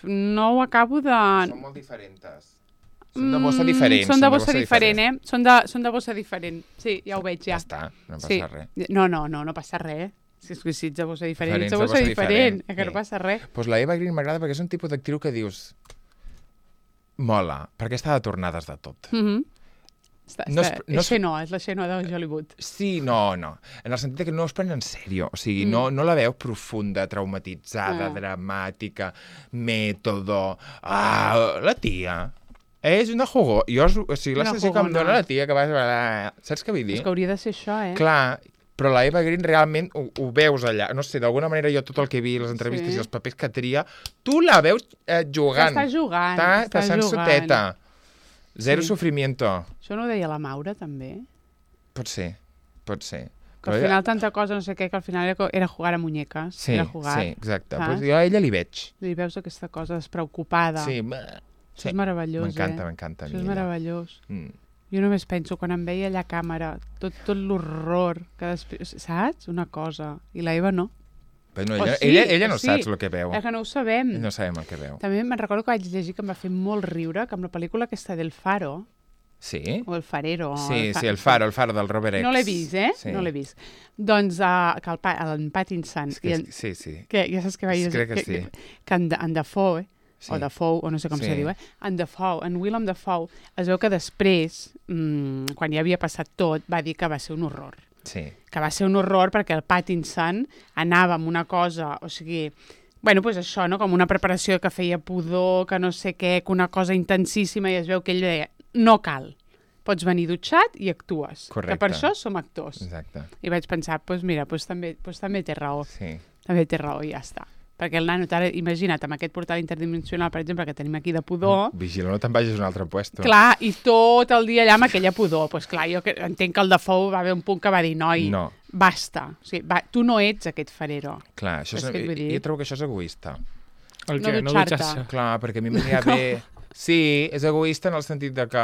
No ho acabo de... Són molt diferents. Són de bossa diferent. Mm, Són de bossa diferent, eh? Són de, són de bossa diferent. Sí, ja ho veig, Ja ja. està, no passa Sí. res. No, no, no, no passa res. Si és que si ets de bossa diferent, Diferents ets de de bossa bossa diferent. diferent, Eh, que no sí. passa res. Pues la Eva Green m'agrada perquè és un tipus d'actriu que dius... Mola, perquè està de tornades de tot. Mm -hmm. Està, No està, es- no és es- Xenó, és la Xenó de Hollywood. Sí, no, no. En el sentit que no es pren en sèrio. O sigui, Mm. no, no la veus profunda, traumatitzada, Ah. dramàtica, mètodo... Ah, la tia és una jugó. Jo, o sigui, la Una sensació que em jugona. dona la tia que vas... Saps què vull dir? És que hauria de ser això, eh? Clar, però la Eva Green realment ho, ho veus allà. No sé, d'alguna manera jo tot el que he vist, les entrevistes Sí. i els papers que tria, tu la veus eh, jugant. Està jugant, Està està passant jugant. soteta. Zero Sí. sofrimiento. Això no ho deia la Maura, també? Pot ser, pot ser. Que al Però final tanta cosa, no sé què, que al final era, co- era jugar a muñeques. Sí, era jugar. sí, exacte. saps? Pues jo a ella li veig. I veus aquesta cosa despreocupada. Sí, Això sí. és meravellós, M'encanta, eh? m'encanta. a Això mi és ella. meravellós. Mm. Jo només penso, quan em veia allà a càmera, tot, tot l'horror que després... Saps? Una cosa. I la Eva no. Però no, O ella, sí, ella, ella o no sí. saps el que veu. És que no ho sabem. Ella no sabem el que veu. També me'n recordo que vaig llegir que em va fer molt riure, que amb la pel·lícula aquesta del Faro, Sí? o El Farero... Sí, sí, el Faro, el Faro del Robert X. No l'he vist, eh? Sí. No l'he vist. Doncs uh, que el, pa, el Pattinson... És que, i en, sí, sí. que ja saps que vaig Crec que que, sí. que, que en, en Dafoe, Sí. o Dafoe, o no sé com Sí. se diu, eh? En Dafoe, en Willem Dafoe, es veu que després, mmm, quan ja havia passat tot, va dir que va ser un horror. Sí. Que va ser un horror perquè el Pattinson anava amb una cosa, o sigui... Bueno, doncs això, no? Com una preparació que feia pudor, que no sé què, que una cosa intensíssima, i es veu que ell deia, no cal, pots venir dutxat i actues. Correcte. Que per això som actors. Exacte. I vaig pensar, doncs mira, doncs també, doncs també té raó. Sí. També té raó, i ja està. Perquè el nano, ara, imagina't, amb aquest portal interdimensional, per exemple, que tenim aquí de pudor, Vigila, no te'n vagis a un altre puesto. clar, i tot el dia allà amb aquella pudor. Doncs pues clar, jo que, entenc que el Dafoe va haver un punt que va dir, noi, No. basta. O sigui, va, tu no ets aquest farero. Clar, això és, Saps què et vull dir? jo trobo que això és egoista. El No què? No dutxar-te. dutxar-se. Clar, perquè a mi m'anirà bé... Sí, és egoista en el sentit de que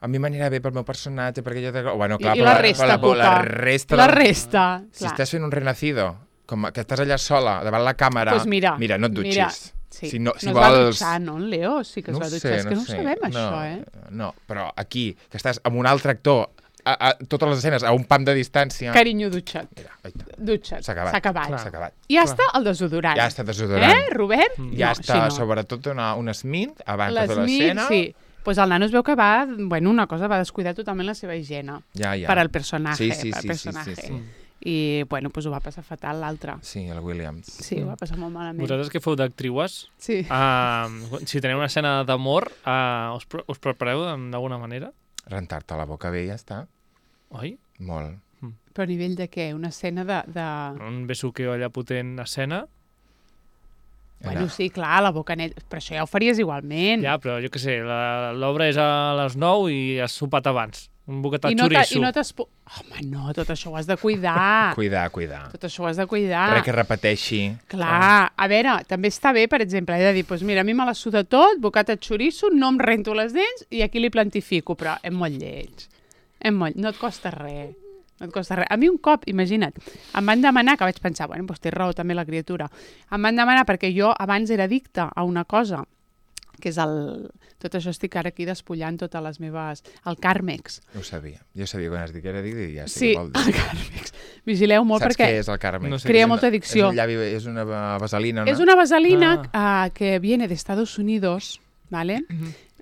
a mi m'anirà bé pel meu personatge, perquè jo... Bueno, clar, I, i però la resta, però Cuca. la resta... La del- resta, Si clar. estàs fent un renacido, com que estàs allà sola, davant la càmera... Pues mira, mira, no et dutxis. mira, sí. Si no, si no es va vols... dutxar, no, en Leo? Sí que es no va ho dutxar. sé, És que no ho sé. sabem, no, això, eh? No, però aquí, que estàs amb un altre actor, a, a, totes les escenes a un pam de distància... Carinyo dutxat. Mira, aita, Dutxat. s'ha acabat. S'ha acabat. S'ha acabat. I ja està el desodorant. Ja està desodorant. Eh, Robert? Ja no, està, així no. sobretot, una, un smint abans de fer L'Smith, l'escena. sí. Pues el nano es veu que va, bueno, una cosa, va descuidar totalment la seva higiene Ja, ja. per al personatge. Sí, sí, per al sí, sí, personatge. sí, sí. I, bueno, doncs ho va passar fatal l'altre. Sí, el Williams. Sí, ho va passar molt malament. Vosaltres que feu d'actriues, Sí. uh, si teniu una escena d'amor, uh, us, pre us prepareu d'alguna manera? Rentar-te la boca bé i ja està. Oi? Molt. Però a nivell de què? Una escena de... de... Un besuqueo allà potent escena? Bueno, sí, clar, la boca neta. Però això ja ho faries igualment. Ja, però jo què sé, l'obra és a les nou i has sopat abans. Un boquetà I no xoriço. I no t'has... Home, no, tot això ho has de cuidar. Cuidar, cuidar. Tot això ho has de cuidar. Res que repeteixi. Clar, a veure, també està bé, per exemple, he de dir, doncs mira, a mi me la suda tot, bocata xoriço, no em rento les dents i aquí li plantifico, però és molt lleig. És molt... No et costa res. No et costa res. A mi un cop, imagina't, em van demanar, que vaig pensar, bueno, doncs té raó també la criatura, em van demanar perquè jo abans era addicta a una cosa, que és el... Tot això estic ara aquí despullant totes les meves... El Carmex. Ho sabia. Jo sabia quan es dic que era addicte i ja sé Sí, què vol dir. el Carmex. Vigileu molt Saps perquè... què és el Carmex? No sé. Crea És una- molta addicció. És, un llavi, és una vaselina, no? És una vaselina Ah. uh, que viene de Estados Unidos, ¿vale?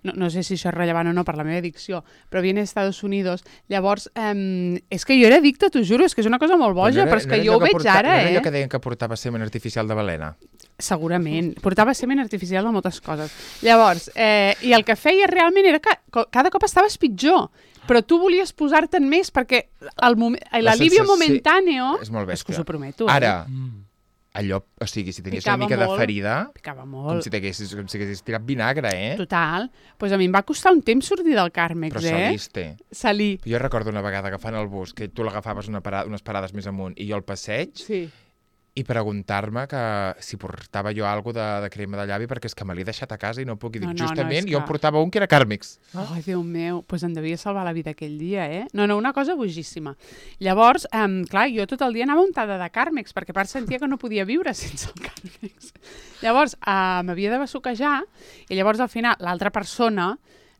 No, no sé si això és rellevant o no per la meva addicció, però viene de Estados Unidos. Llavors, um, és que jo era addicta, t'ho juro, és que és una cosa molt boja, però és que jo ho veig ara, No era allò eh? que deien que portava semen artificial de balena? Segurament. Portava semen artificial de moltes coses. Llavors, eh, i el que feia realment era que co- cada cop estaves pitjor, però tu volies posar-te'n més perquè el moment- l'alivio sensació- momentáneo... És molt És que bèstia. us ho prometo, eh? Ara, Mm. allò, o sigui, si tenies Picava una mica de molt. ferida, Picava com molt. si t'haguessis com si haguessis tirat vinagre, eh? Total. Doncs pues a mi em va costar un temps sortir del Carmex, Però eh? saliste. Salí. Jo recordo una vegada agafant el bus, que tu l'agafaves una parada, unes parades més amunt i jo al passeig, Sí. i preguntar-me que si portava jo alguna de, de crema de llavi perquè és que me l'he deixat a casa i no puc. I dic, No, no, no, justament, és jo que- em portava un que era Carmex. Ai, Déu meu, doncs pues em devia salvar la vida aquell dia, eh? No, no, una cosa bojíssima. Llavors, um, clar, jo tot el dia anava untada de Carmex, perquè a part sentia que no podia viure sense el Carmex. Llavors, uh, m'havia de besuquejar, i llavors al final l'altra persona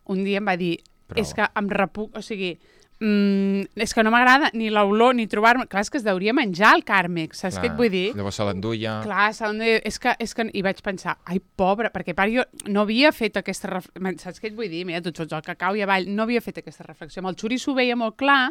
un dia em va dir, Però- és que em repuc, o sigui, mm, és que no m'agrada ni l'olor ni trobar-me... Clar, és que es deuria menjar el Carmex, saps què et vull dir? Llavors se l'enduia. Clar, s'han de... és, que, és que... I vaig pensar, ai, pobra, perquè a part jo no havia fet aquesta reflexió, saps què et vull dir? Mira, tu et fots el cacau i avall, no havia fet aquesta reflexió. Amb el xoriço ho veia molt clar,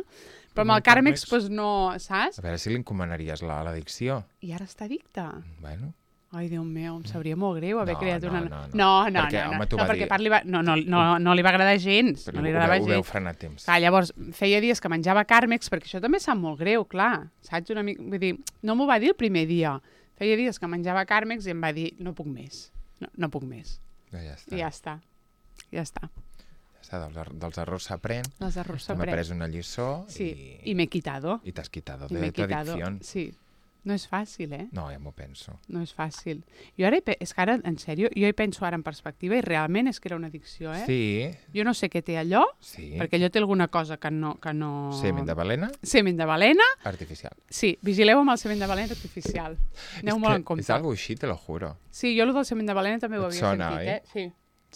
però amb el Carmex, doncs no, saps? A veure si li encomanaries la- l'addicció. I ara està addicta. Bueno, Ai, Déu meu, em sabria molt greu haver No, creat no, una... no, no. no, no, Perquè, no, home, no, t'ho no va perquè dir. a part li va... no, no, no, no li va agradar gens, però no li ho, agradava veu, ho veu gens. frenar a temps. Clar, llavors, feia dies que menjava Carmex, perquè això també sap molt greu, clar, saps? Una mica, vull dir, no m'ho va dir el primer dia. Feia dies que menjava Carmex i em va dir, no puc més, no, no puc més. Ja, ja està. I ja està, ja està. Ja està, dels, er- dels errors s'aprèn. Les errors Hem s'aprèn. après una lliçó Sí, i, i m'he quitado. i t'has quitado I de m'he tu quitado. adicción. Sí, no és fàcil, eh? No, ja m'ho penso. No és fàcil. Jo ara, hi pe- és que ara, en sèrio, jo hi penso ara en perspectiva i realment és que era una addicció, eh? Sí, Jo no sé què té allò, sí. perquè allò té alguna cosa que no... Que no... Semen de balena Semen de balena. artificial. Sí, vigileu amb el semen de balena artificial. Aneu és molt que en compte. És algo així, te lo juro. Sí, jo el del semen de balena també ho Et havia sona, sentit, oi? eh? Sí.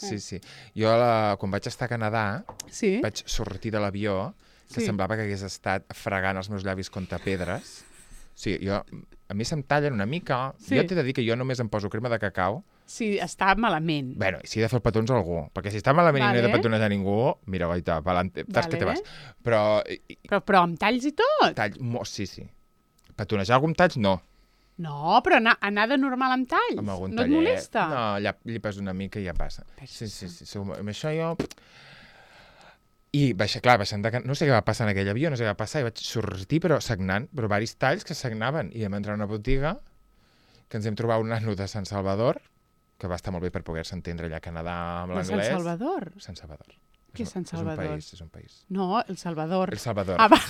Sí, sí. Jo, la, quan vaig estar a Canadà, Sí? vaig sortir de l'avió que Sí. semblava que hagués estat fregant els meus llavis contra pedres. Sí, jo, a mi se'm tallen una mica. Sí. Jo t'he de dir que jo només em poso crema de cacau. Sí, està malament. Bueno, si he de fer els petons a algú. Perquè si està malament Vale. i no he de petonejar a ningú, mira, goita, pa'lante, tas que te Vale. vas. Però, i- i- Però, però amb talls i tot? tall, mo, sí, sí. Petonejar algú amb talls, no. No, però anar, anar de normal amb talls. Amb algun no et tallet. molesta? No, ja llepes una mica i ja passa. Sí, sí, sí. sí. Amb això jo... I, baixa, clar, baixant de... Can- No sé què va passar en aquell avió, no sé què va passar, i vaig sortir, però sagnant, però varis talls que sagnaven. I vam entrar a una botiga, que ens hem trobat un nano de Sant Salvador, que va estar molt bé per poder-se entendre allà a Canadà amb De l'anglès. Sant Salvador? Sant Salvador. Què és Sant Salvador? És un país, és un país. No, El Salvador. El Salvador. Ah, va.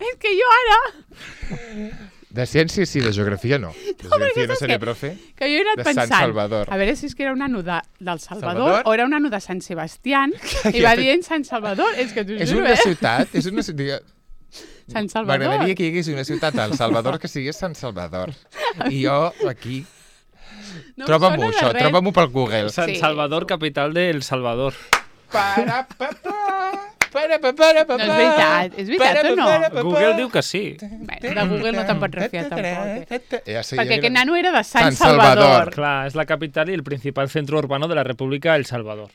És que jo ara, De ciència sí, de geografia no. De geografia no saps seré què? profe. que jo he anat De Sant pensant, Salvador. a veure si és que era un nano de, del Salvador, Salvador? o era un nano de Sant Sebastián, i va dient Sant Salvador, és que t'ho És juro, una eh? ciutat, és una ciutat... Sant Salvador. M'agradaria que hi hagués una ciutat al Salvador que sigués Sant Salvador. I jo aquí... No em Troba-m'ho, sona de això, res. troba-m'ho pel Google. Sant Sí. Salvador, capital de El Salvador. Para, pa, pa, para, pa, para, pa, No és veritat, és veritat o no? Google diu que sí. Bé, de Google no te'n pots refiar tampoc. Eh? Ja sé, Perquè jo aquest era- nano era de Sant, Sant Salvador. Salvador. Clar, és la capital i el principal centro urbano de la República El Salvador.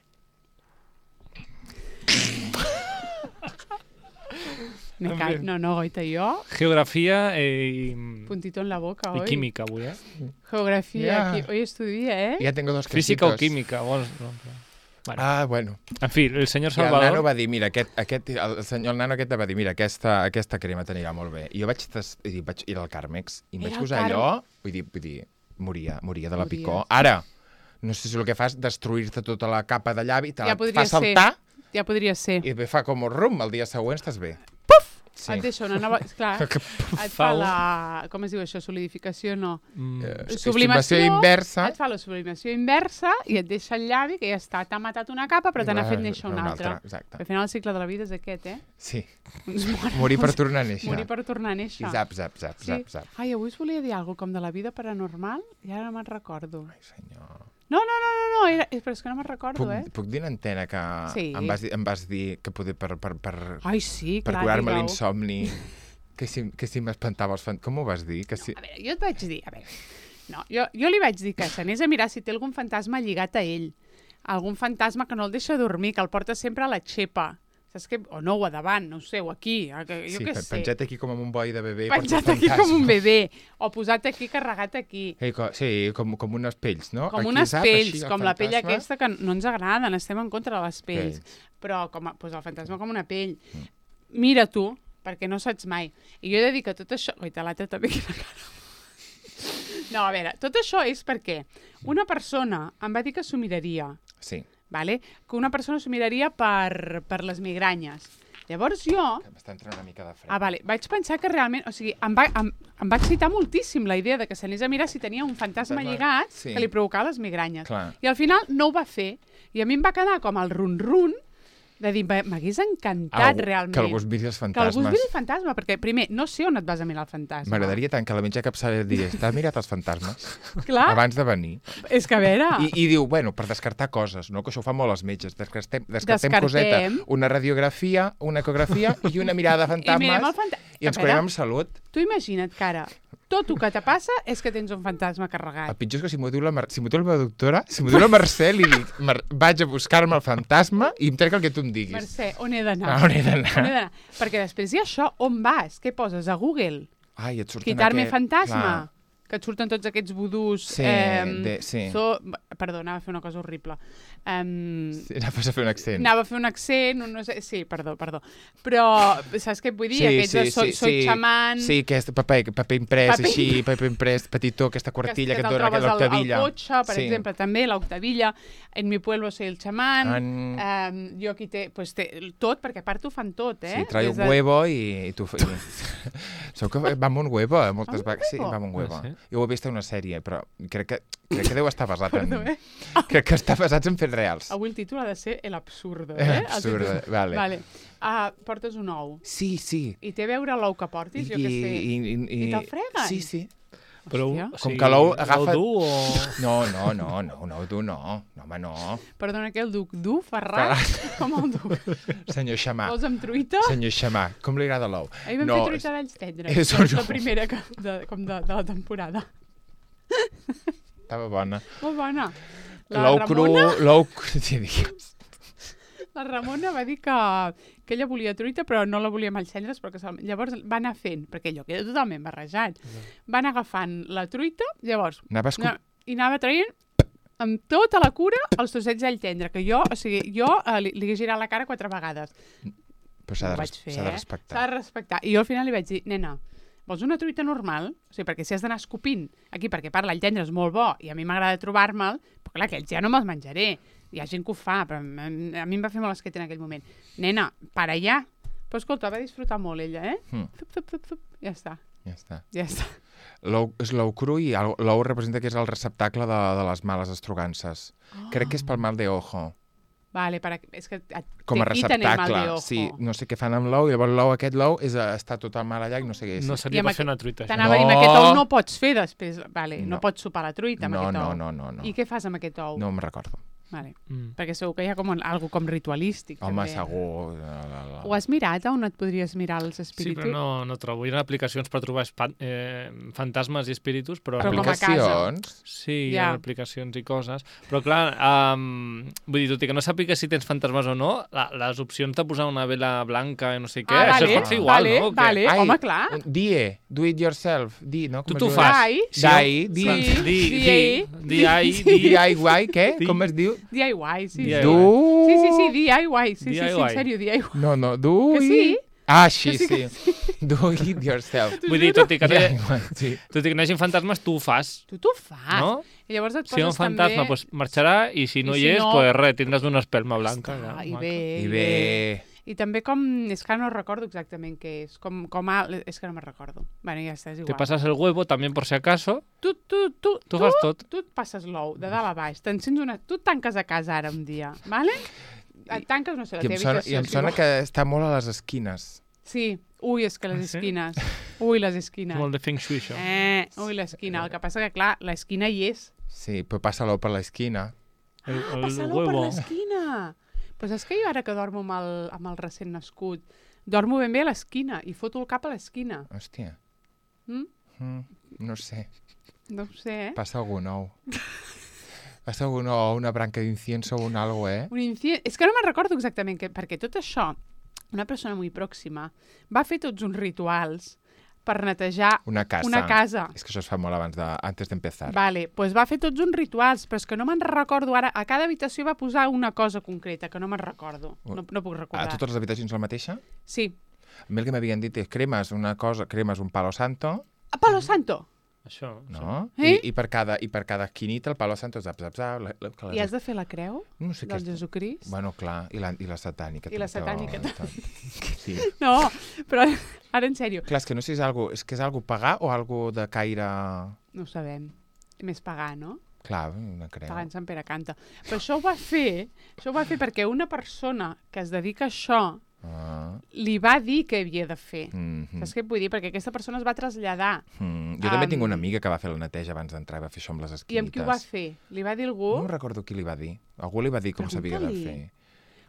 Me En ca... fi. No, no, goita, jo... Geografia i, Puntito en la boca, i oi? química avui, eh? Geografia, Ja. qui... hoy estudia, eh? Ja tengo dos Física o quesitos. química. Vols... No, però... bueno. Ah, bueno. En fi, el senyor I el Salvador... nano va dir, mira, aquest, aquest, el senyor el nano aquest va dir, mira, aquesta, aquesta crema t'anirà molt bé. I jo vaig, tes, i vaig ir al Carmex i em Era vaig el posar Carme- allò, vull dir, vull dir, moria, moria de la Mories. picor. Ara, no sé si el que fa és destruir-te tota la capa de llavi, te Ja la podria fa saltar Ja podria ser. i bé, fa com un rum, el dia següent estàs bé. Sí. Et deixa una nova... Clar, Que et fa la... Com es diu això? Solidificació, no. Mm. Eh, Sublimació estimació inversa. Et fa la sublimació inversa i et deixa el llavi, que ja està, t'ha matat una capa, però te n'ha fet néixer una altra. Exacte. Al final el cicle de la vida és aquest, eh? Sí, Ens morim. morir per tornar a néixer. Morir per tornar a néixer. I zap, zap, zap, Sí. zap, zap. Ai, avui us volia dir alguna cosa com de la vida paranormal i ara no me'n recordo. Ai, senyor. No, no, no, no, no era... però és que no me'n recordo, Puc, eh? puc dir en antena que Sí. em, vas dir, em vas dir que poder per, per, per, Ai, sí, per clar, curar-me digue-ho. l'insomni, que si, que si m'espantava els fantasmes. Com ho vas dir? Que si... A veure, jo et vaig dir... A veure, no, jo, jo li vaig dir que s'anés a mirar si té algun fantasma lligat a ell. Algun fantasma que no el deixa dormir, que el porta sempre a la xepa. Saps què? O no, o a davant, no ho sé, o aquí. a que- Jo sí, què pe- sé. penjat aquí com amb un boi de bebè. Penjat porta aquí fantasma. com un bebè. O posat aquí, carregat aquí. Ei, co sí, com, com unes pells, no? Com Aquí, unes zap, pells, així, el com la pell fantasma. aquesta que no ens agraden, estem en contra de les pells. Pells. Però com a, pues el fantasma com una pell. Mm. Mira tu, perquè no saps mai. I jo he de dir que tot això... Oita, l'altre també quina cara. No, a veure, tot això és perquè una persona em va dir que s'ho miraria, Sí, vale? Que una persona s'ho miraria per, per les migranyes. Llavors jo... que m'està entrant una mica de fred. Ah, vale. Vaig pensar que realment... O sigui, em va, em, em va excitar moltíssim la idea de que s'anés a mirar si tenia un fantasma Fantasma, lligat sí. que li provocava les migranyes. Clar. I al final no ho va fer. I a mi em va quedar com el run-run de dir, "Va- m'hagués encantat Algú- realment. Que algú es miri els Que algú es fantasmes. miri el fantasma, perquè primer, no sé on et vas a mirar el fantasma. M'agradaria tant que a la mitja capçada et digués, t'has mirat els fantasmes? Clar, Abans de venir. és que a veure... I, I diu, bueno, per descartar coses, no? Que això ho fan molt els metges. Descartem, descartem, Descartem. coseta, una radiografia, una ecografia i una mirada de I mirem el fantasmes fanta... i ens A curem veure, amb salut. Tu imagina't que ara tot el que te passa és que tens un fantasma El carregat. pitjor és que si m'ho diu, la Mar... si m'ho diu la meva doctora, si m'ho diu la Mercè, li dic, Mar... vaig a buscar-me el fantasma i em trec el que tu em diguis. Mercè, on he d'anar? Ah, on he d'anar? On he d'anar? Perquè després hi ha això, on vas? Què poses a Google? Ai, et surten Quitar-me aquest... fantasma? Clar. Que et surten tots aquests vudús... Sí, em, de- sí. So... Perdó, anava a fer una cosa horrible. Um, Sí, anaves a fer un accent. Anava a fer un accent, un no sé... Sí, perdó, perdó. Però, saps què et vull dir? Sí, Aquests sí, de soy, sí, soy sí. xamán... Sí, aquest paper, paper imprès, Paper- així, paper imprès, petitó, aquesta quartilla que, que et te'l dona trobes al, al l'octavilla. cotxe, per Sí. exemple, també, l'octavilla. En mi pueblo soy el chamán. En... Um, jo aquí té, pues té tot, perquè a part ho fan tot, eh? Sí, trae Des un de- huevo i, i tu... I... Sou que va amb un huevo, eh, moltes Va amb un vegades. Sí, huevo? va amb un huevo. Ah, sí? Jo ho he vist en una sèrie, però crec que, crec que deu estar basat en... Perdó, eh? Crec que està basat en fets reals. Avui el títol ha de ser El absurdo, El eh? absurdo, El títol. vale. Vale. Uh, portes un ou. Sí, sí. I té a veure l'ou que portis, jo què sé. I, i, i, I te'l freguen? Sí, sí. Però, Hòstia. o Com sigui, que l'ou agafa- l'ou dur o... No, no, no, no, no, tu no. No, home, no. Perdona, què, el duc dur, Ferran? Com el duc? Senyor Xamà. Vols amb truita? Senyor Xamà, com li agrada l'ou? Ahir vam no, fer truita d'alls tendres. és És un- la primera que, de, com de, de la temporada. Estava bona. Molt bona. La L'ou cru, Ramona, l'ou... Sí, digues. la Ramona va dir que, que ella volia truita, però no la volia amb els cendres, però que se'l- llavors va anar fent, perquè allò queda totalment barrejat. Va anar agafant la truita, llavors, Anava escup... no, i anava traient amb tota la cura els trossets d'all tendre, que jo, o sigui, jo eh, li, li he girat la cara quatre vegades. Però s'ha Ho de, vaig res- fer, s'ha de eh? respectar. S'ha de respectar. I jo al final li vaig dir, nena, vols una truita normal? O sigui, perquè si has d'anar escopint aquí, perquè parla el tendre és molt bo i a mi m'agrada trobar-me'l, però clar, aquells ja no me'ls menjaré. Hi ha gent que ho fa, però a mi a mi em va fer molt esquet en aquell moment. Nena, para allà. Però escolta, va disfrutar molt ella, eh? Mm. Fup, fup, fup, fup. Ja està, Ja està. ja està. L'ou és l'ou cru i el- l'ou representa que és el receptacle de, de les males estrogances. Oh. Crec que és pel mal de ojo. Vale, para... és que et, Com a te quiten el mal receptacle. de ojo. Sí, no sé què fan amb l'ou, i llavors l'ou, aquest l'ou, és, eh, està tot el mal allà i no sé què és. No I seria amb per fer aquest- una truita, això. T'anava a dir, No. amb aquest ou no pots fer després. Vale, no, No. pots sopar la truita amb no, aquest no, ou. no, no, no. I què fas amb aquest ou? No em recordo. Vale. Mm. Perquè segur que hi ha com algo com ritualístic. Home, també. segur. La, la, la. Ho has mirat on et podries mirar els Sí, espíritus? però no, no trobo. Hi ha aplicacions per trobar espa- eh, fantasmes i espíritus, però... Però com a casa. Aplicacions? Sí, hi Ja. ha aplicacions i coses. Però clar, um, vull dir, tot i que no sàpiga si tens fantasmes o no, la, les opcions de posar una vela blanca i no sé què, Ah, això vale, es pot fer igual, vale, no? O què? vale. Ai, home, clar. un- Die, do it yourself. Di, no? Tu Com t'ho es diu? fas. Dai. Dai, di. Sí. Di, D I. di, di, ai, Sí. di. D I Y, què? Di. Com es diu? D I Y, sí. D I Y. sí. Du... Sí, sí, sí, D I Y. Sí, sí, sí, D I Y. en sèrio, D I Y. No, no, do Que sí? it... Ah, sí, Que sí, que sí. Do it yourself. Vull dir, tot i, que no, D I Y, sí. tot i que no hi hagi fantasmes, tu ho fas, Tu t'ho fas. no? I llavors et Si hi ha un poses fantasma, també... pues, marxarà, i si no I hi si és, no- pues res, tindràs una espelma blanca. Està, ja, I maca. bé, I bé... I també com... És que no recordo exactament què és. Com, com a... És que no me'n recordo. Bueno, ja està, és Te igual. pasas el huevo, també per si acaso, Tu, tu, tu, tu fas tot. tu et passes l'ou de dalt a baix. T'encens una... Tu et tanques a casa ara un dia, vale? Et tanques, no sé, la I em teva sona, habitació. i em si sona vols. que està molt a les esquines. Sí. Ui, és que les Ah, sí? esquines. Ui, les esquines. Molt de feng shui, això. Eh, ui, l'esquina. El que passa que, clar, l'esquina hi és. Sí, però passa l'ou per l'esquina. El, Ah, el passa l'ou per huevo. l'esquina. Pues és que jo ara que dormo amb el, amb el recent nascut, dormo ben bé a l'esquina i foto el cap a l'esquina. Hòstia. Mm? Mm, no sé. No ho sé, eh? Passa algun ou. Passa algun ou, una branca d'incienso o un algo, eh? Un inci... És que no me'n recordo exactament, que, perquè tot això, una persona molt pròxima va fer tots uns rituals per netejar Una casa. una casa. És que això es fa molt abans de... antes d'empezar. Vale, pues va fer tots uns rituals, però és que no me'n recordo ara. A cada habitació va posar una cosa concreta, que no me'n recordo. No, no puc A recordar. totes les habitacions la mateixa? Sí. A mi el que m'havien dit és cremes una cosa, cremes un palo santo, A Palo Santo! Això. no? Eh? I, i, per cada, I per cada esquinita el palo santo zap, zap, zap. La, la, que I has de fer la creu No sé què del és. Jesucrist? Bueno, clar, i la, i la satànica. I la tot, satànica tot. Sí. No, però ara en sèrio, Clar, és que no sé si és algo, és que és algo pagà o algo de caire... no ho sabem. Més pagar, no? Clar, una creu. Pagant Sant Pere canta. Però això ho va fer, això ho va fer perquè una persona que es dedica a això Ah. li va dir què havia de fer. Mm -hmm. Saps què et vull dir? Perquè aquesta persona es va traslladar. Mm. Jo també Am, tinc una amiga que va fer la neteja abans d'entrar i va fer això amb les I esquinites. amb qui ho va fer? Li va dir algú? No recordo qui li va dir. Algú li va dir com s'havia de Pregunta-li. fer.